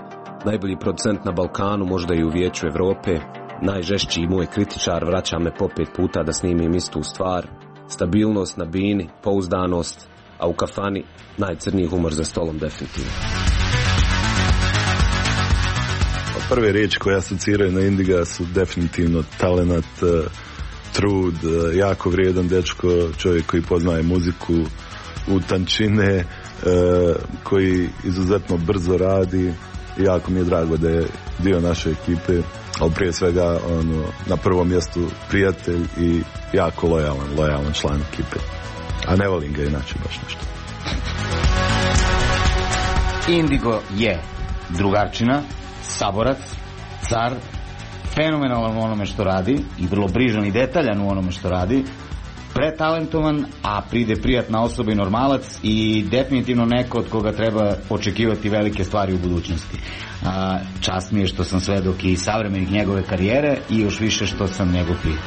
najbolji producent na Balkanu, možda i u Vijeću Evrope, najžešći moj kritičar, vraća me po pet puta da snimim istu stvar, stabilnost na bini, pouzdanost, a u kafani najcrniji humor za stolom definitivno. Prve riječi koje asociraju na Indiga su definitivno talenat, trud, jako vrijedan dečko, čovjek koji poznaje muziku u tančine, koji izuzetno brzo radi i jako mi je drago da je dio naše ekipe, ali prije svega ono, na prvom mjestu prijatelj i jako lojalan, lojalan član ekipe. A ne volim ga inače baš nešto. Indigo je drugarčina, saborac, car, fenomenalan u onome što radi i vrlo brižan i detaljan u onome što radi, pretalentovan, a pride prijatna osoba i normalac i definitivno neko od koga treba očekivati velike stvari u budućnosti. A, čast mi je što sam svedok i savremenih njegove karijere i još više što sam njegov prijatelj.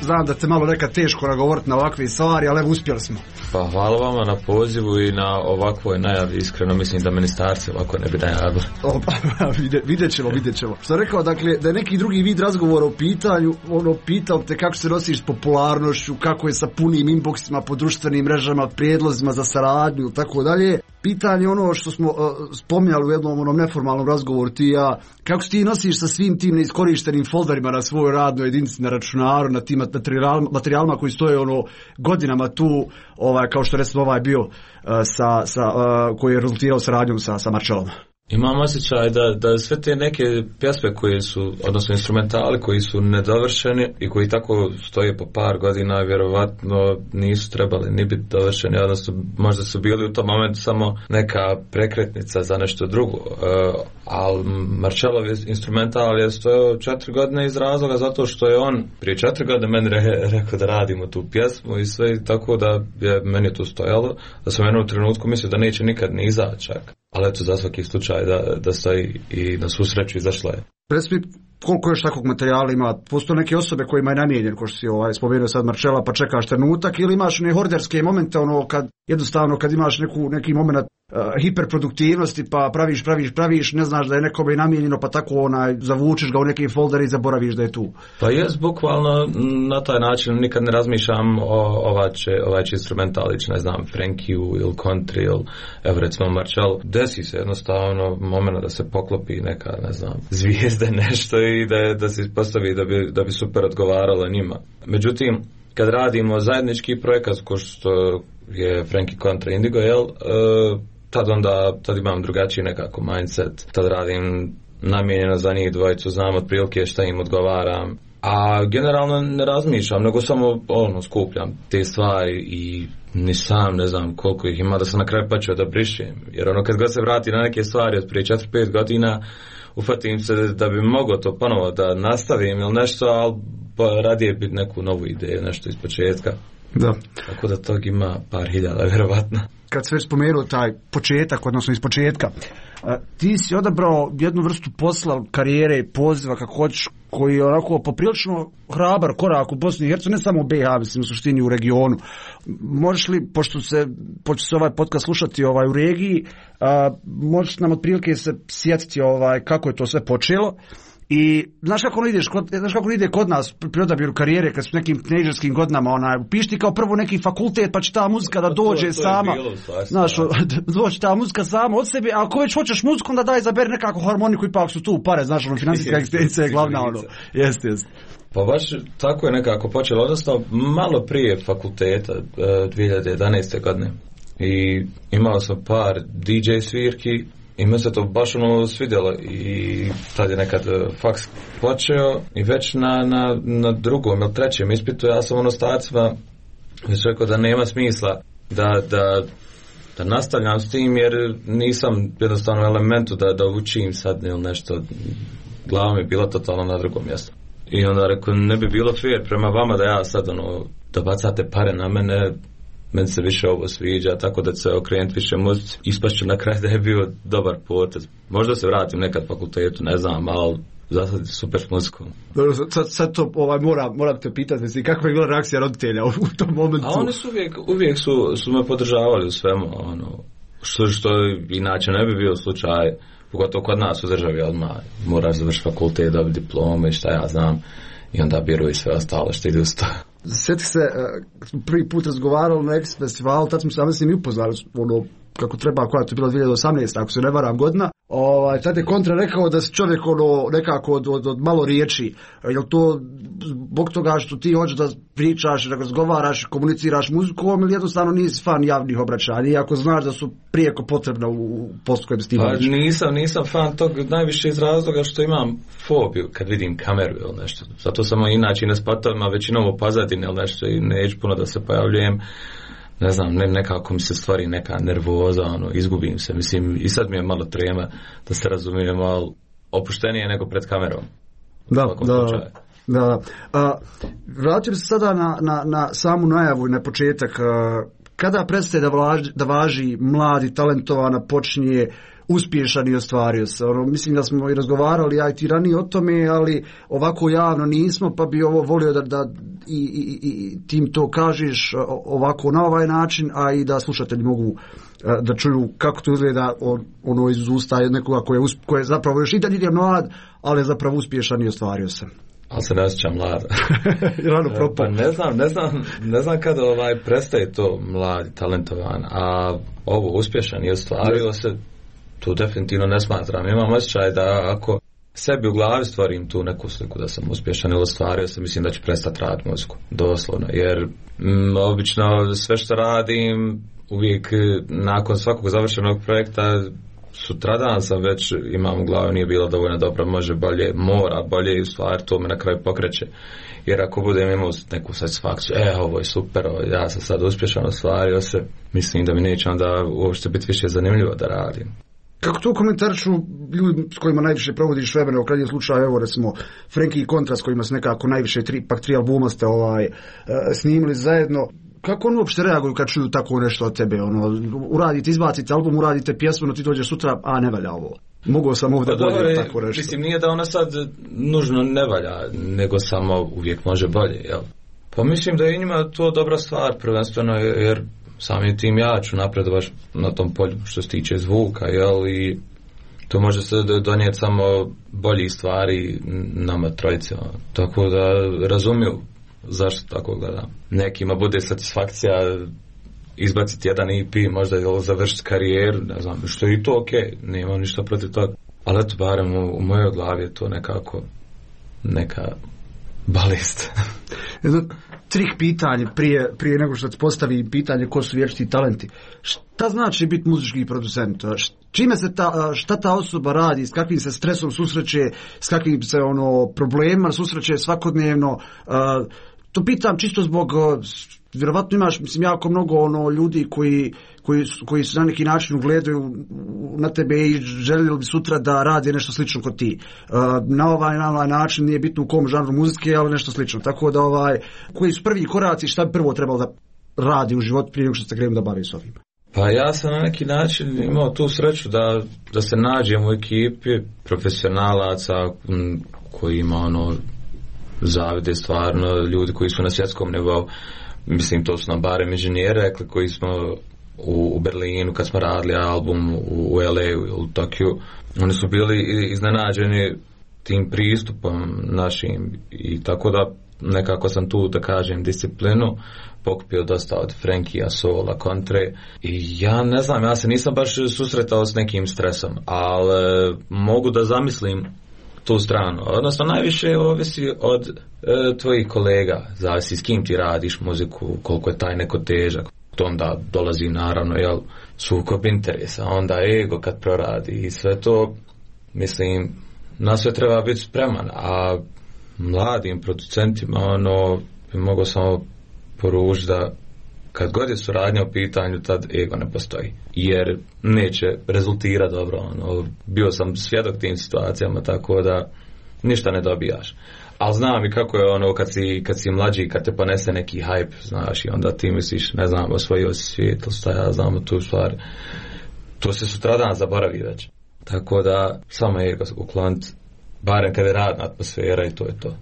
Znam da te malo nekad teško nagovoriti na ovakve stvari, ali evo uspjeli smo. Pa hvala vama na pozivu i na ovakvoj najavi, iskreno mislim da ministarci ovako ne bi najavili. Vidjet ćemo, vidjet ćemo. Što rekao, dakle, da je neki drugi vid razgovora u pitanju, ono, pitao te kako se nosiš s popularnošću, kako je sa punim inboxima po društvenim mrežama, prijedlozima za saradnju i tako dalje. Pitanje ono što smo uh, spominjali u jednom onom neformalnom razgovoru ti i ja, kako se ti nosiš sa svim tim neiskorištenim folderima na svojoj radnoj jedinici, na računaru, na tim materijal, materijalima koji stoje ono godinama tu, ovaj, kao što recimo ovaj bio uh, sa, sa, uh, koji je rezultirao saradnjom sa, sa Marčelom. Imam osjećaj da, da sve te neke pjesme koje su, odnosno instrumentali koji su nedovršeni i koji tako stoje po par godina, vjerovatno nisu trebali ni biti dovršeni, odnosno možda su bili u tom momentu samo neka prekretnica za nešto drugo. Uh, ali Marčelov instrumental je stojao četiri godine iz razloga zato što je on prije četiri godine meni re, rekao da radimo tu pjesmu i sve, tako da je meni to stojalo, da sam jednom trenutku mislio da neće nikad ni izaći čak. Ali eto, za svaki slučaj da, da stoji i na svu sreću izašla je. Presmi, koliko još takvog materijala ima? Postoje neke osobe kojima je namijenjen, ko što si ovaj, spomenuo sad Marčela, pa čekaš trenutak, ili imaš ne horderske momente, ono, kad, jednostavno kad imaš neku, neki moment uh, hiperproduktivnosti, pa praviš, praviš, praviš, ne znaš da je nekome namijenjeno, pa tako onaj, zavučeš ga u neki folder i zaboraviš da je tu. Pa jes, bukvalno na taj način nikad ne razmišljam o ovače, ovače instrumentalić, ne znam, Frankiju ili country ili, evo recimo Marčel. Desi se jednostavno moment da se poklopi neka, ne znam, zvijezde, nešto i da, da se postavi da bi, da bi super odgovaralo njima. Međutim, kad radimo zajednički projekat ko što je Frankie kontra Indigo, jel, uh, tad onda tad imam drugačiji nekako mindset, tad radim namijenjeno za njih dvojicu, znam otprilike šta im odgovaram, a generalno ne razmišljam, nego samo ono, skupljam te stvari i ni sam ne znam koliko ih ima da sam na kraju počeo da brišem, jer ono kad god se vrati na neke stvari od prije četiri pet godina ufatim se da bi mogao to ponovo da nastavim ili nešto, ali radije biti neku novu ideju, nešto iz početka. Da. Tako da tog ima par hiljada, vjerovatno. Kad se već spomenuo taj početak, odnosno iz početka, ti si odabrao jednu vrstu posla, karijere i poziva, kako hoćeš, koji je onako poprilično hrabar korak u Bosni i Hercegovini, ne samo u B i H, mislim u suštini u regionu. Možeš li, pošto se, pošto se ovaj podcast slušati ovaj, u regiji, a, možeš nam otprilike se sjetiti ovaj, kako je to sve počelo. I znaš kako ideš, kod, znaš kako ide kod nas pri odabiru karijere kad su nekim teenagerskim godinama, onaj, upišti kao prvo neki fakultet pa će ta muzika da dođe to, to sama, znaš, doći ta muzika sama od sebe, a ako već hoćeš muziku onda daj izaberi nekako harmoniku, ipak su tu pare, znaš, ono, financijska egzistencija je glavna, ono, jeste, jeste. Pa baš tako je nekako počelo, odnosno malo prije fakulteta, dvije hiljade jedanaeste godine, i imao sam par D J svirki, i me se to baš ono svidjelo i tad je nekad faks počeo i već na, na, na drugom ili trećem ispitu ja sam ono starcima već rekao da nema smisla da, da, da nastavljam s tim jer nisam jednostavno u elementu da, da učim sad ili nešto, glava mi je bila totalno na drugom mjestu. I onda rekao, ne bi bilo fair prema vama da ja sad ono, da bacate pare na mene, meni se više ovo sviđa, tako da se okrenuti više muzici. Ispašću na kraj da je bio dobar potez. Možda se vratim nekad fakultetu, ne znam, ali za sad super s muzikom. Sad, sad to ovaj, moram, moram te pitati, mislim, kakva je bila reakcija roditelja u, u tom momentu? A oni su uvijek, uvijek su, su me podržavali u svemu, ono, što, što inače ne bi bio slučaj, pogotovo kod nas u državi, odmah moraš završiti fakultet, dobiti diplome i šta ja znam, i onda biru i sve ostalo što ide uz to. Sjeti se, prvi put razgovarali na X festivalu, tad smo se ja s njim upoznali, ono, kako treba, koja to je bila dvije tisuće osamnaesta, ako se ne varam godina. Ovaj, tad je Kontra rekao da se čovjek ono, nekako od, od, od malo riječi. Jel to zbog toga što ti hoćeš da pričaš, da razgovaraš, komuniciraš muzikom ili jednostavno nisi fan javnih obraćanja, iako znaš da su prijeko potrebna u poslu kojem ti pa, nisam, nisam fan tog najviše iz razloga što imam fobiju kad vidim kameru ili nešto. Zato sam inače na spatovima većinom u pozadini ili nešto i neću puno da se pojavljujem. Ne znam, ne, nekako mi se stvari neka nervoza, ono, izgubim se, mislim, i sad mi je malo trema, da se razumijemo, ali opuštenije nego pred kamerom. Da, da, da. A, vraćam se sada na, na, na samu najavu i na početak. A, kada prestaje da, vlaži, da važi mladi, talentovana, počinje uspješan i ostvario se. Ono, mislim da smo i razgovarali ja i ti ranije o tome, ali ovako javno nismo, pa bi ovo volio da, da i, i, i tim to kažeš ovako na ovaj način, a i da slušatelji mogu da čuju kako to izgleda ono iz usta nekoga koje, koje je zapravo još i dalje je mlad, ali je zapravo uspješan i ostvario se. Ali se ne osjećam mlad. Rano propao. Pa ne znam, ne znam, ne znam kada ovaj prestaje to mladi, talentovan, a ovo uspješan i ostvario se, tu definitivno ne smatram. Imam osjećaj da ako sebi u glavi stvorim tu neku sliku da sam uspješan ili ostvario se, mislim da ću prestati raditi muziku. Doslovno. Jer m, obično sve što radim, uvijek nakon svakog završenog projekta, sutradan sam već imam u glavi nije bilo dovoljno dobro, može bolje, mora bolje i u stvari to me na kraju pokreće. Jer ako budem imao neku satisfakciju, e, ovo je super, ovo, ja sam sad uspješan, ostvario se, mislim da mi neće onda uopšte biti više zanimljivo da radim. Kako to komentarišu ljudi s kojima najviše provodiš vremena, u krajnjem slučaju, evo recimo Frankie i Kontra s kojima se nekako najviše tri, pak tri albuma ste ovaj, snimili zajedno, kako oni uopšte reaguju kad čuju tako nešto od tebe, ono, uradite, izbacite album, uradite pjesmu, no ti dođeš sutra, a ne valja ovo. Mogao sam ovdje pa bolje tako nešto. Mislim, nije da ona sad nužno ne valja, nego samo uvijek može bolje, jel? Pa mislim da je njima to dobra stvar, prvenstveno, jer samim tim ja ću napredovati na tom polju što se tiče zvuka, jel, i to može se donijeti samo bolji stvari nama trojice, tako da razumiju zašto tako gledam. Nekima bude satisfakcija izbaciti jedan E P, možda je završiti karijeru, ne znam, što je i to okej, okay, nema ništa protiv toga, ali eto, barem u, u mojoj glavi je to nekako neka balest. Jedno trik pitanje prije, prije nego što ti postavi pitanje ko su vječiti talenti. Šta znači biti muzički producent? Čime se ta, šta ta osoba radi, s kakvim se stresom susreće, s kakvim se ono problemima susreće svakodnevno? To pitam čisto zbog, vjerovatno imaš, mislim, jako mnogo ono ljudi koji, koji, koji se na neki način ugledaju na tebe i željeli bi sutra da radi nešto slično kod ti. Na ovaj, na ovaj način nije bitno u kom žanru muzike, ali nešto slično. Tako da ovaj, koji su prvi koraci, šta bi prvo trebalo da radi u životu prije nego što se krenu da bavi s ovim? Pa ja sam na neki način imao tu sreću da, da se nađem u ekipi profesionalaca koji ima ono zavide stvarno, ljudi koji su na svjetskom nivou, mislim to su nam barem inženjeri rekli koji smo u, u Berlinu kad smo radili album u, u L A u Tokiju, oni su bili iznenađeni tim pristupom našim i tako da nekako sam tu da kažem disciplinu pokupio dosta od Frankija, Sola, Kontre i ja ne znam, ja se nisam baš susretao s nekim stresom, ali mogu da zamislim tu stranu. Odnosno, najviše ovisi od e, tvojih kolega, zavisi s kim ti radiš muziku, koliko je taj neko težak. To onda dolazi naravno, jel, sukob interesa, onda ego kad proradi i sve to, mislim, na sve treba biti spreman, a mladim producentima, ono, bi mogo samo poručiti da kad god je suradnja u pitanju, tad ego ne postoji. Jer neće rezultirati dobro. Ono, bio sam svjedok tim situacijama, tako da ništa ne dobijaš. Ali znam i kako je ono kad si, kad si mlađi, kad te ponese neki hype, znaš, i onda ti misliš, ne znam, osvojio si svijet, ili šta ja znam tu stvar. To se sutradan zaboravi već. Tako da samo ego ukloniti, barem kada je radna atmosfera i to je to.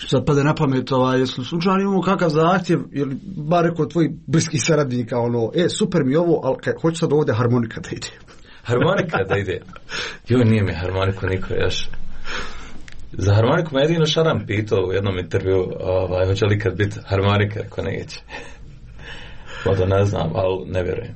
Sad pade na pamet, ovaj, jesu slučajno imamo kakav zahtjev, ili bar kod tvojih bliskih saradnika, ono, e, super mi ovo, ali kaj, hoću sad ovdje harmonika da ide. Harmonika da ide? Joj, nije mi harmoniku niko još. Za harmoniku me jedino Šaran pitao u jednom intervju, ovaj, hoće li kad biti harmonika, ako neće. Možda ne znam, ali ne vjerujem.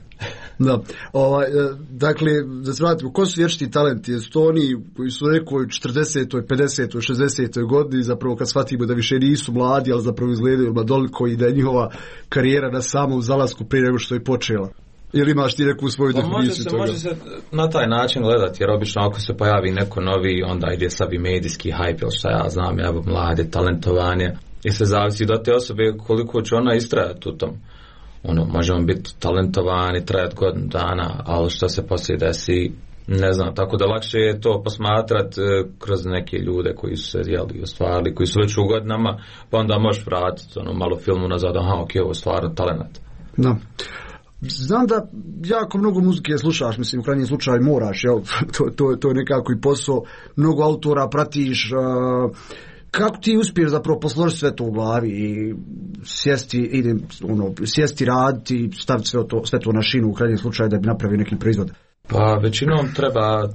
Da, ovaj, dakle, da se vratimo, ko su vječiti talenti? Jesu to oni koji su u nekoj četrdesetoj, pedesetoj, šezdesetoj godini, zapravo kad shvatimo da više nisu mladi, ali zapravo izgledaju mladoliko i da je njihova karijera na samom zalasku prije nego što je počela? Ili imaš ti neku svoju pa definiciju može se, toga? Može se na taj način gledati, jer obično ako se pojavi neko novi, onda ide slabi medijski hype, ili šta ja znam, ja mlade, talentovanje, i se zavisi do te osobe koliko će ona istrajati u tom. Ono, možemo biti talentovani, trajati godinu dana, ali što se poslije desi, ne znam, tako da lakše je to posmatrati e, kroz neke ljude koji su se jeli, ostvarili, koji su već u godinama, pa onda možeš vratiti ono, malo filmu nazad, aha, ok, ovo je stvarno talent. Da. Znam da jako mnogo muzike slušaš, mislim, u krajnjem slučaju moraš, jel? to, to, to je nekako i posao, mnogo autora pratiš, uh, kako ti uspiješ zapravo posložiti sve to u glavi i sjesti, idem, ono, sjesti raditi, staviti sve to, sve to na šinu u krajnjem slučaju da bi napravio neki proizvod? Pa većinom treba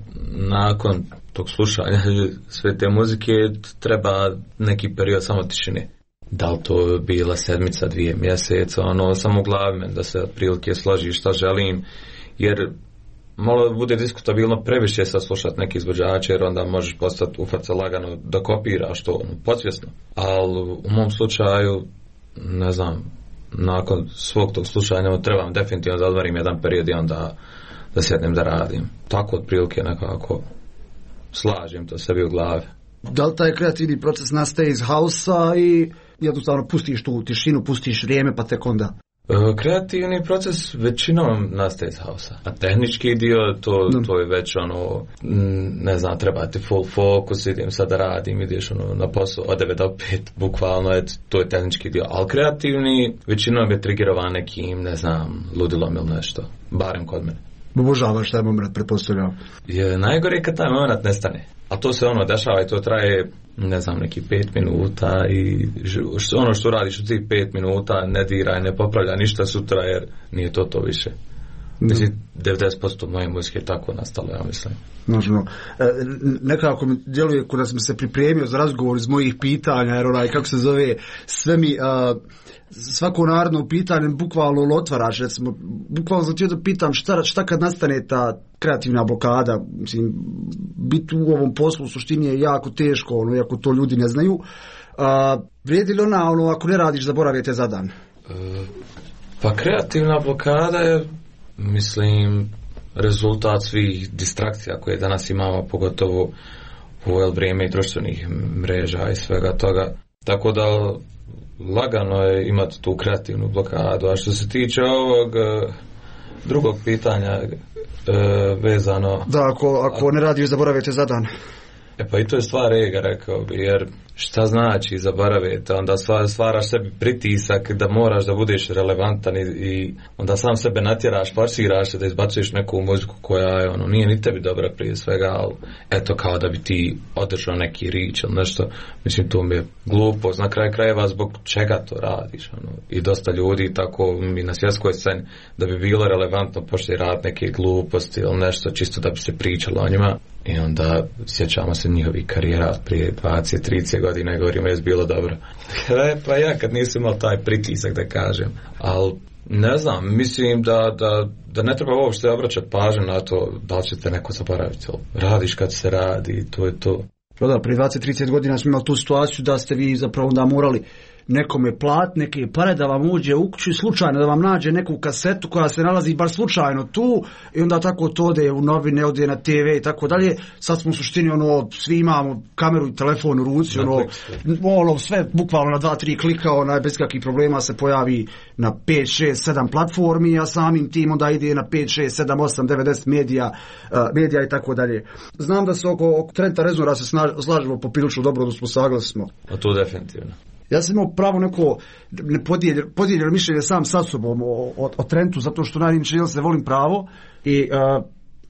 nakon tog slušanja sve te muzike treba neki period samo tišine. Da li to bila sedmica, dvije mjeseca, ono, samo u glavi men, da se otprilike složi šta želim, jer malo bude diskutabilno previše sad slušati neki izvođače, jer onda možeš postati ufat se lagano da kopiraš to, ono, podsvjesno. Ali u mom slučaju, ne znam, nakon svog tog slušanja trebam definitivno da odvarim jedan period i onda da sjednem da radim. Tako otprilike nekako slažem to sebi u glavi. Da li taj kreativni proces nastaje iz hausa i jednostavno pustiš tu tišinu, pustiš vrijeme pa tek onda? Kreativni proces većinom nastaje iz hausa, a tehnički dio to, to je već ono, ne znam, treba ti full focus, idem sad da radim, ideš ono na posao od devet do pet, bukvalno je, to je tehnički dio, ali kreativni većinom je trigerovan nekim, ne znam, ludilom ili nešto, barem kod mene. Obožavaš taj moment, pretpostavljam. Je najgore kad taj moment nestane. A to se ono dešava i to traje, ne znam, neki pet minuta i ono što radiš u tih pet minuta ne diraj, ne popravlja ništa sutra jer nije to to više. Mislim, devedeset posto moje muzike je tako nastalo, ja mislim. Možemo. E, nekako mi djeluje kada sam se pripremio za razgovor iz mojih pitanja, jer onaj, kako se zove, sve mi, a, svako narodno pitanje bukvalno otvaraš, recimo, bukvalno sam htio da pitam šta, šta kad nastane ta kreativna blokada, mislim, biti u ovom poslu u suštini je jako teško, ono, iako to ljudi ne znaju. A, vrijedi li ona, ono, ako ne radiš, zaboravite za dan? E, pa kreativna blokada je, mislim, rezultat svih distrakcija koje danas imamo, pogotovo u ovo vrijeme i društvenih mreža i svega toga. Tako da lagano je imati tu kreativnu blokadu. A što se tiče ovog uh, drugog pitanja uh, vezano... Da, ako, ako ne radiš, zaboravite za dan. E pa i to je stvar ega, rekao bi, jer šta znači zaboravite, onda stvaraš sebi pritisak da moraš da budeš relevantan i, i onda sam sebe natjeraš, forsiraš se da izbacuješ neku muziku koja je, ono, nije ni tebi dobra prije svega, ali eto kao da bi ti održao neki rič ili nešto, mislim to mi je glupo, na kraju krajeva zbog čega to radiš, ono, i dosta ljudi tako i na svjetskoj sceni da bi bilo relevantno početi raditi neke gluposti ili nešto čisto da bi se pričalo o njima. I onda sjećamo se njihovih karijera prije dvadeset trideset godina i govorimo je bilo dobro. E, pa ja kad nisam imao taj pritisak da kažem. Ali ne znam, mislim da, da, da ne treba uopšte obraćati pažnju na to da li ćete neko zaboraviti. Radiš kad se radi, to je to. Da, prije dvadeset trideset godina smo imali tu situaciju da ste vi zapravo onda morali nekome plat, neke pare da vam uđe u kuću, slučajno da vam nađe neku kasetu koja se nalazi bar slučajno tu i onda tako to ode u novine, ode na te ve i tako dalje. Sad smo u suštini ono, svi imamo kameru i telefon u ruci, ono, ono sve bukvalno na dva, tri klika, onaj, bez kakvih problema se pojavi na pet, šest, sedam platformi, a samim tim onda ide na pet, šest, sedam, osam, devet, deset medija, uh, medija i tako dalje. Znam da se oko, oko Trenta Reznora se slažemo poprilično dobro, da smo saglasni. A to definitivno. Ja sam imao pravo neko podijeljeno, podijeljeno mišljenje sam sa sobom o, o, o Trentu, zato što najniče ja se volim pravo i uh,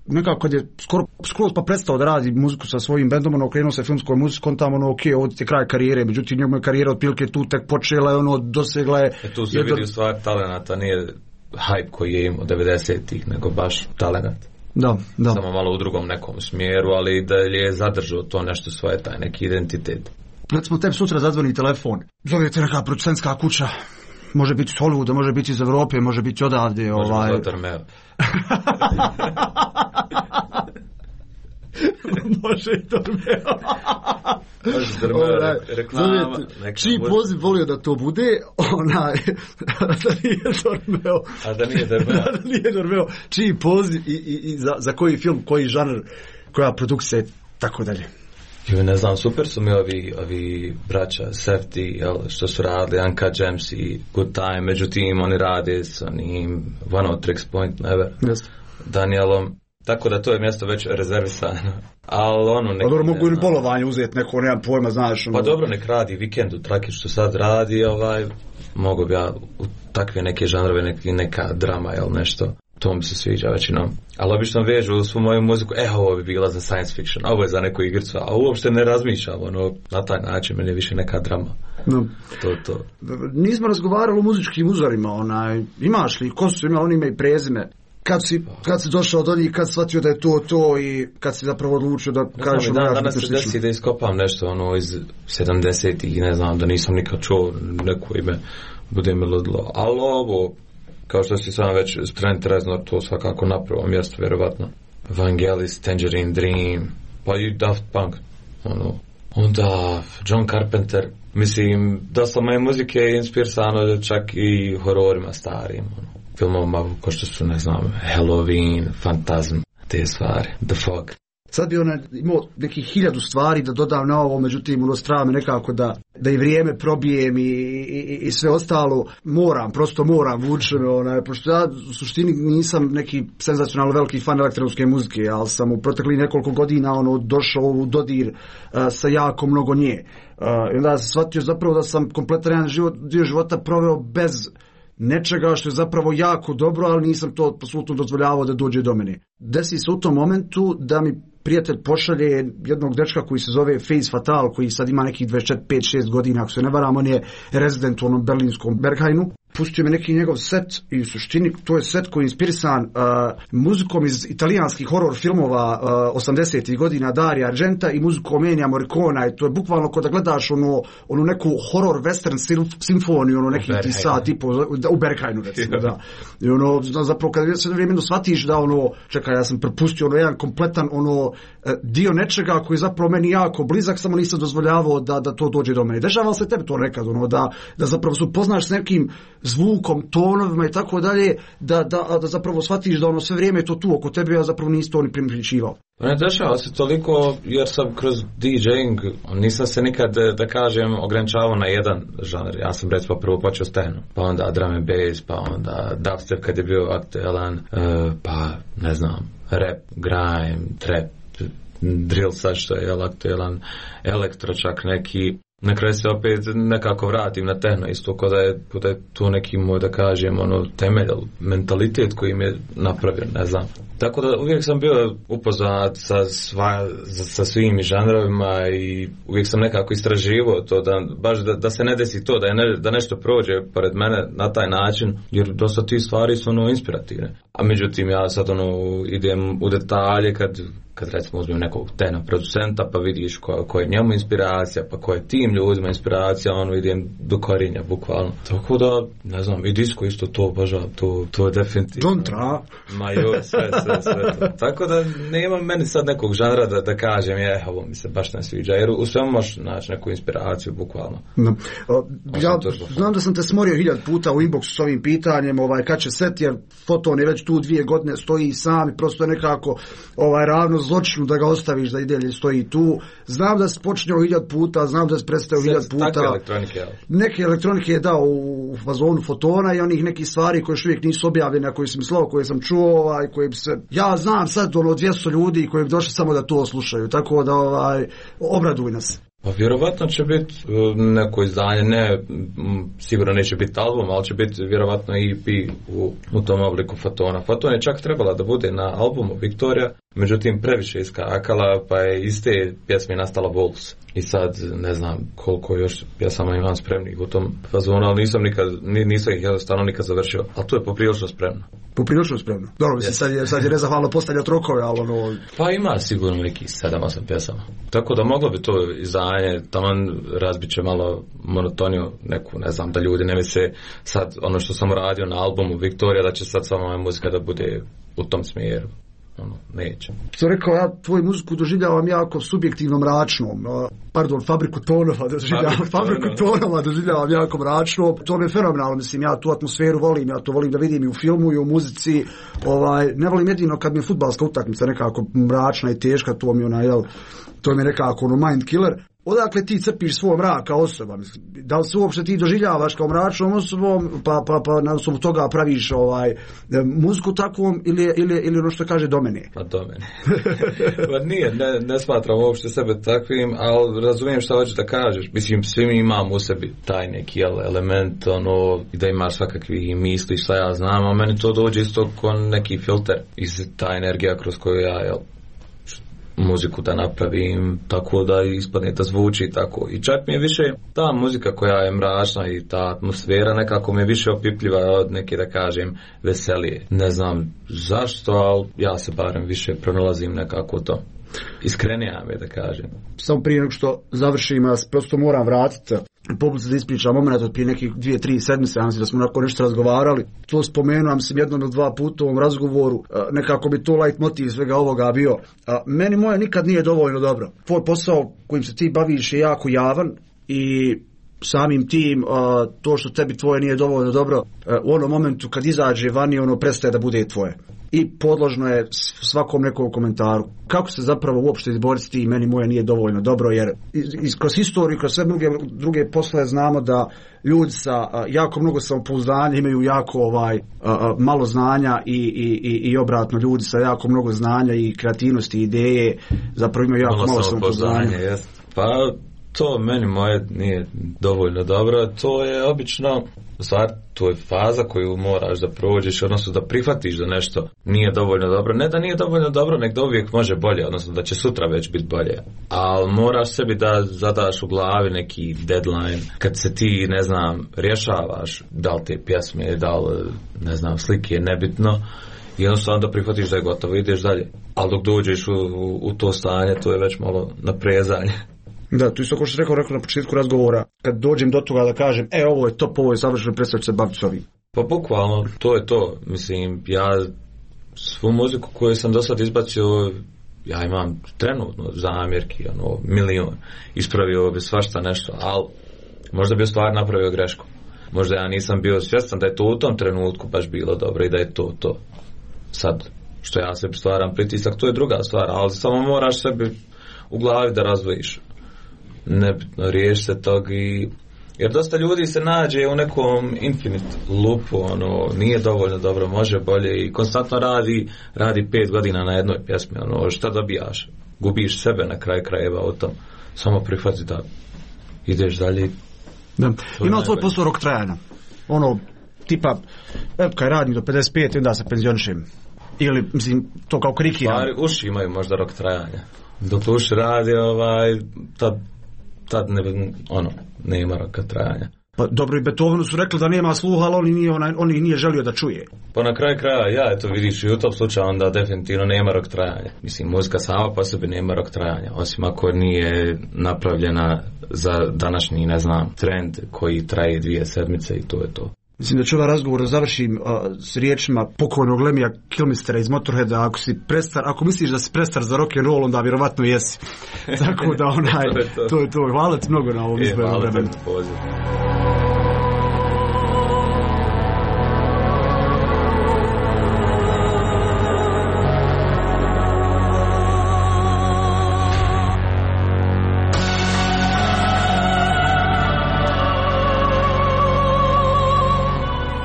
nekako kad je skoro, skoro pa prestao da radi muziku sa svojim bendom, ono okrenuo se filmskoj muzici, kontamo ono, ok, ovo je kraj karijere, međutim njegova karijera otprilike tu tek počela je, ono, dosegla je... E tu se jedno... vidi u stvari talenata, nije hype koji je imao devedesetih, nego baš talenat. Da, da. Samo malo u drugom nekom smjeru, ali da je zadržao to nešto svoje, taj neki identitet. Recimo tebi sutra zadzvoni telefon, zove te neka producentska kuća, može biti iz Hollywooda, može biti iz Evrope, može biti odavde. Može ovaj... biti Tormeo. Može i Tormeo. Može Tormeo, reklama. Čiji poziv volio da to bude, onaj, da nije Tormeo. A da nije Tormeo. Da nije Tormeo. Čiji poziv i, i, i za, za koji film, koji žanr, koja produkcija i tako dalje. Jo, ne znam, super su mi ovi, ovi braća Safety, jel, što su radili, Uncut Gems i Good Time, međutim oni rade s onim One of Tricks Point Never, yes. Danielom, tako da to je mjesto već rezervisano. Ali ono... Pa dobro, mogu i bolovanje uzeti neko, nemam pojma, znaš. Ono... Pa dobro, nek radi Vikendu, Traki što sad radi, ovaj, mogu bi ja u takve neke žanrove, neke, neka drama, jel, nešto. To mi se sviđa većinom. Ali obično vežu svu moju muziku, e, ovo bi bila za science fiction, ovo je za neku igricu, a uopšte ne razmišljam, ono, na taj način, meni je više neka drama. No. To, to. Nismo razgovarali o muzičkim uzorima, onaj, imaš li, ko su imali, oni ime i prezime? Kad si, kad si došao do njih, kad si shvatio da je to to i kad si zapravo odlučio da kažeš... Ne znam, danas se desi da iskopam nešto, ono, iz sedamdesetih, ne znam, da nisam nikad čuo neko ime, bude mi ludilo, ali ovo... Kao što si sam već Trent Reznor, to svakako na prvom mjestu, vjerovatno. Vangelis, Tangerine Dream, pa i Daft Punk. Ono. Onda John Carpenter. Mislim, dosta moje muzike je inspirisano čak i hororima starim. Ono. Filmovima ko što su, ne znam, Halloween, Phantasm, te stvari, The Fog. Sad bi ona imao nekih hiljadu stvari da dodam na ovo, međutim ono strava me nekako da, da i vrijeme probijem i, i, i sve ostalo. Moram, prosto moram, vuče me, onaj, pošto ja u suštini nisam neki senzacionalno veliki fan elektronske muzike, ali sam u proteklih nekoliko godina ono, došao u dodir uh, sa jako mnogo nje. Uh, I onda sam shvatio zapravo da sam kompletan jedan život, dio života proveo bez nečega što je zapravo jako dobro, ali nisam to apsolutno dozvoljavao da dođe do mene. Desi se u tom momentu da mi prijatelj pošalje jednog dečka koji se zove Face Fatal, koji sad ima nekih dvadeset četiri, pet, šest godina, ako se ne varam, on je rezident u onom berlinskom Berghainu. Pustio mi neki njegov set i u suštini to je set koji je inspirisan uh, muzikom iz italijanskih horror filmova uh, osamdesetih godina Dario Argenta i muzikom Ennija Morricona i to je bukvalno kao da gledaš ono, ono neku horror western simfoniju, ono neki ti sad tipo u Berghainu recimo, da. I ono, zapravo kada se vrijeme shvatiš da ono, čekaj, ja sam prepustio ono jedan kompletan ono dio nečega koji je zapravo meni jako blizak, samo nisam dozvoljavao da, da to dođe do mene. Dešava se tebi to nekad, ono, da, da zapravo se upoznaš s nekim zvukom, tonovima i tako dalje, da, da, da zapravo shvatiš da ono sve vrijeme je to tu oko tebe, a zapravo nisi to ni primjećivao. Ne dešava se toliko jer sam kroz DJing, nisam se nikad, da kažem, ograničavao na jedan žanr. Ja sam recimo prvo počeo s tehnom, pa onda drum and bass, pa onda dubstep kad je bio aktualan, pa ne znam, rap, grime, trap, drill sad što je aktualan, elektro čak neki. Na kraju se opet nekako vratim na tehno, isto kao da je, da je to neki moj, da kažem, ono, temelj, mentalitet koji mi je napravio, ne znam. Tako da uvijek sam bio upoznat sa, sva, sa svim žanrovima i uvijek sam nekako istraživao to, da, baš da, da se ne desi to, da, je ne, da nešto prođe pored mene na taj način, jer dosta ti stvari su ono inspirativne. A međutim, ja sad ono, idem u detalje kad kad recimo uzmem nekog tena producenta pa vidiš ko, ko je njemu inspiracija, pa ko je tim ljudima inspiracija, ono idem do korinja bukvalno. Tako da, ne znam, i disco isto to obožavam, to, to je definitivno. Dontra. Ma joj, sve, sve, sve to. Tako da nema meni sad nekog žanra da, da kažem, je, ovo mi se baš ne sviđa, jer u svemu možeš naći neku inspiraciju bukvalno. No. O, ja znam da sam te smorio hiljad puta u inboxu s ovim pitanjem, ovaj, kad će set, jer Foton je već tu dvije godine, stoji sam i prosto nekako ovaj, ravno zločinu da ga ostaviš da i dalje stoji tu. Znam da si počinjao hiljad puta, znam da si predstavio hiljad puta. Takve elektronike, ja. Neke elektronike je dao u fazonu Fotona i onih nekih stvari koje još uvijek nisu objavljene, koje sam mislao, koje sam čuo, ovaj, koje bi se... Ja znam sad ono dvjesto ljudi koji bi došli samo da to slušaju, tako da ovaj, obraduj nas. Pa vjerovatno će biti neko izdanje, ne, sigurno neće biti album, ali će biti vjerovatno E P u, u tom obliku Fotona. Foton je čak trebala da bude na albumu Victoria, međutim previše iskakala, pa je iz te pjesme nastala Wolves. I sad ne znam koliko još pjesama imam spremnih u tom fazonu, ali nisam nikad, nisam ih jednostavno nikad završio, ali to je poprilično spremno. Poprilično spremno. Dobro, mislim, yes. sad je, sad je nezahvalno postavljati rokove, ali ono... Pa ima sigurno nekih sedam osam pjesama. Tako da moglo bi to izdanje, taman razbit će malo monotoniju neku, ne znam, da ljudi ne misle sad ono što sam radio na albumu Victoria, da će sad samo moja muzika da bude u tom smjeru. Ono, neće. Što rekao, ja tvoju muziku doživljavam jako subjektivno mračnom. Pardon, fabriku tonova doživljavam, fabriku tonova doživljavam jako mračno. To mi je fenomenalno, mislim, ja tu atmosferu volim, ja to volim da vidim i u filmu i u muzici. Ovaj, ne volim jedino kad mi je fudbalska utakmica nekako mračna i teška, to mi je onaj, jel, to mi je nekako ono mind killer. Odakle ti crpiš svoj mrak kao osoba? Mislim, da li se uopšte ti doživljavaš kao mračnom osobom, pa, pa, pa na osnovu toga praviš ovaj, muziku takvom ili, ili, ili ono što kaže do mene? Pa do mene. Pa nije, ne, ne smatram uopšte sebe takvim, ali razumijem šta hoćeš da kažeš. Mislim, svi mi imamo u sebi taj neki element, ono, da imaš svakakvi misli, šta ja znam, a meni to dođe isto kao neki filter iz ta energija kroz koju ja, jel, muziku da napravim tako da ispadne da zvuči tako. I čak mi je više ta muzika koja je mračna i ta atmosfera nekako mi je više opipljiva od neke, da kažem, veselije. Ne znam zašto, ali ja se barem više pronalazim nekako to. Iskrenija mi, da kažem. Samo prije nego što završim, ja prosto moram vratiti poput se da ispričam moment od prije nekih dvije, tri sedmice, ja mislim da smo onako nešto razgovarali. To spomenuo sam jednom ili dva puta u ovom razgovoru, nekako bi to light motiv svega ovoga bio. Meni moje nikad nije dovoljno dobro. Tvoj posao kojim se ti baviš je jako javan i samim tim to što tebi tvoje nije dovoljno dobro, u onom momentu kad izađe vani, ono prestaje da bude tvoje. I podložno je svakom nekom komentaru. Kako se zapravo uopšte izboriti s tim, meni moje nije dovoljno dobro, jer iz, kroz historiju, kroz sve druge, druge poslove znamo da ljudi sa a, jako mnogo samopouzdanja imaju jako ovaj, a, a, malo znanja i, i, i, i obratno ljudi sa jako mnogo znanja i kreativnosti i ideje zapravo imaju jako malo, malo samopouzdanja. Pa to meni moje nije dovoljno dobro, to je obično stvar, to je faza koju moraš da prođeš, odnosno da prihvatiš da nešto nije dovoljno dobro, ne da nije dovoljno dobro, nek da uvijek može bolje, odnosno da će sutra već biti bolje, ali moraš sebi da zadaš u glavi neki deadline, kad se ti, ne znam, rješavaš da li te pjesme, da li, ne znam, slike, nebitno, i jednostavno da prihvatiš da je gotovo, ideš dalje, ali dok dođeš u, u, u to stanje, to je već malo naprezanje. Da, tu isto kao što rekao, rekao na početku razgovora, kad dođem do toga da kažem, e, ovo je top, ovo je savršeno, predstav ću se baviti s ovim. Pa bukvalno, to je to. Mislim, ja svu muziku koju sam do sad izbacio, ja imam trenutno zamjerki, ono, milion. Ispravio bi svašta nešto, ali možda bi stvar napravio grešku. Možda ja nisam bio svjestan da je to u tom trenutku baš bilo dobro i da je to to. Sad, što ja sebi stvaram pritisak, to je druga stvar, ali samo moraš sebi u glavi da razdvojiš. Nebitno, riješi se tog i... Jer dosta ljudi se nađe u nekom infinite loopu, ono, nije dovoljno dobro, može bolje i konstantno radi, radi pet godina na jednoj pjesmi, ono, šta dobijaš? Gubiš sebe na kraj krajeva o tom. Samo prihvati da ideš dalje. Da. Ima tvoj posao rok trajanja? Ono, tipa, evo kaj radim do pedeset pet i onda se penzionišem. Ili, mislim, to kao krikiram. Stvari, uši imaju možda rok trajanja. Dok uši radi, ovaj, tad tad ne, ono, nema roka trajanja. Pa dobro, i Beethovenu su rekli da nema sluha, ali on ih nije, on ih nije želio da čuje. Pa na kraju kraja, ja, eto vidiš, i u tom slučaju onda definitivno nema rok trajanja. Mislim, muzika sama po sebi nema rok trajanja, osim ako nije napravljena za današnji, ne znam, trend koji traje dvije sedmice i to je to. Mislim da ću ovaj razgovor završim uh, s riječima pokojnog Lemmija Kilmistera iz Motorheada, ako si prestar, ako misliš da si prestar za rock and roll, onda vjerovatno jesi. Tako da onaj, to, je to. to je to. Hvala ti mnogo na ovom e, izboru vremenu.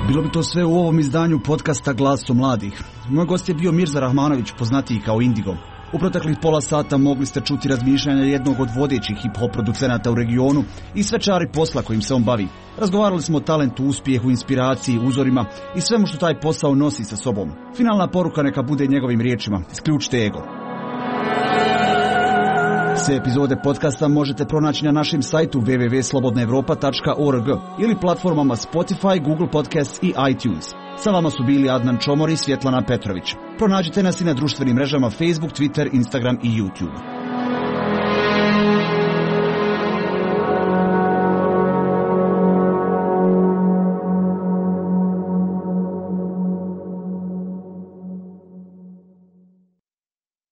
Bilo bi to sve u ovom izdanju podcasta Glasom mladih. Moj gost je bio Mirza Rahmanović, poznatiji kao Indigo. U proteklih pola sata mogli ste čuti razmišljanja jednog od vodećih hip-hop producenata u regionu i sve čari posla kojim se on bavi. Razgovarali smo o talentu, uspjehu, inspiraciji, uzorima i svemu što taj posao nosi sa sobom. Finalna poruka neka bude njegovim riječima: isključite ego. Sve epizode podcasta možete pronaći na našem sajtu w w w tačka slobodna europa tačka org ili platformama Spotify, Google Podcasts i iTunes. Sa vama su bili Adnan Čomor i Svjetlana Petrović. Pronađite nas i na društvenim mrežama Facebook, Twitter, Instagram i YouTube.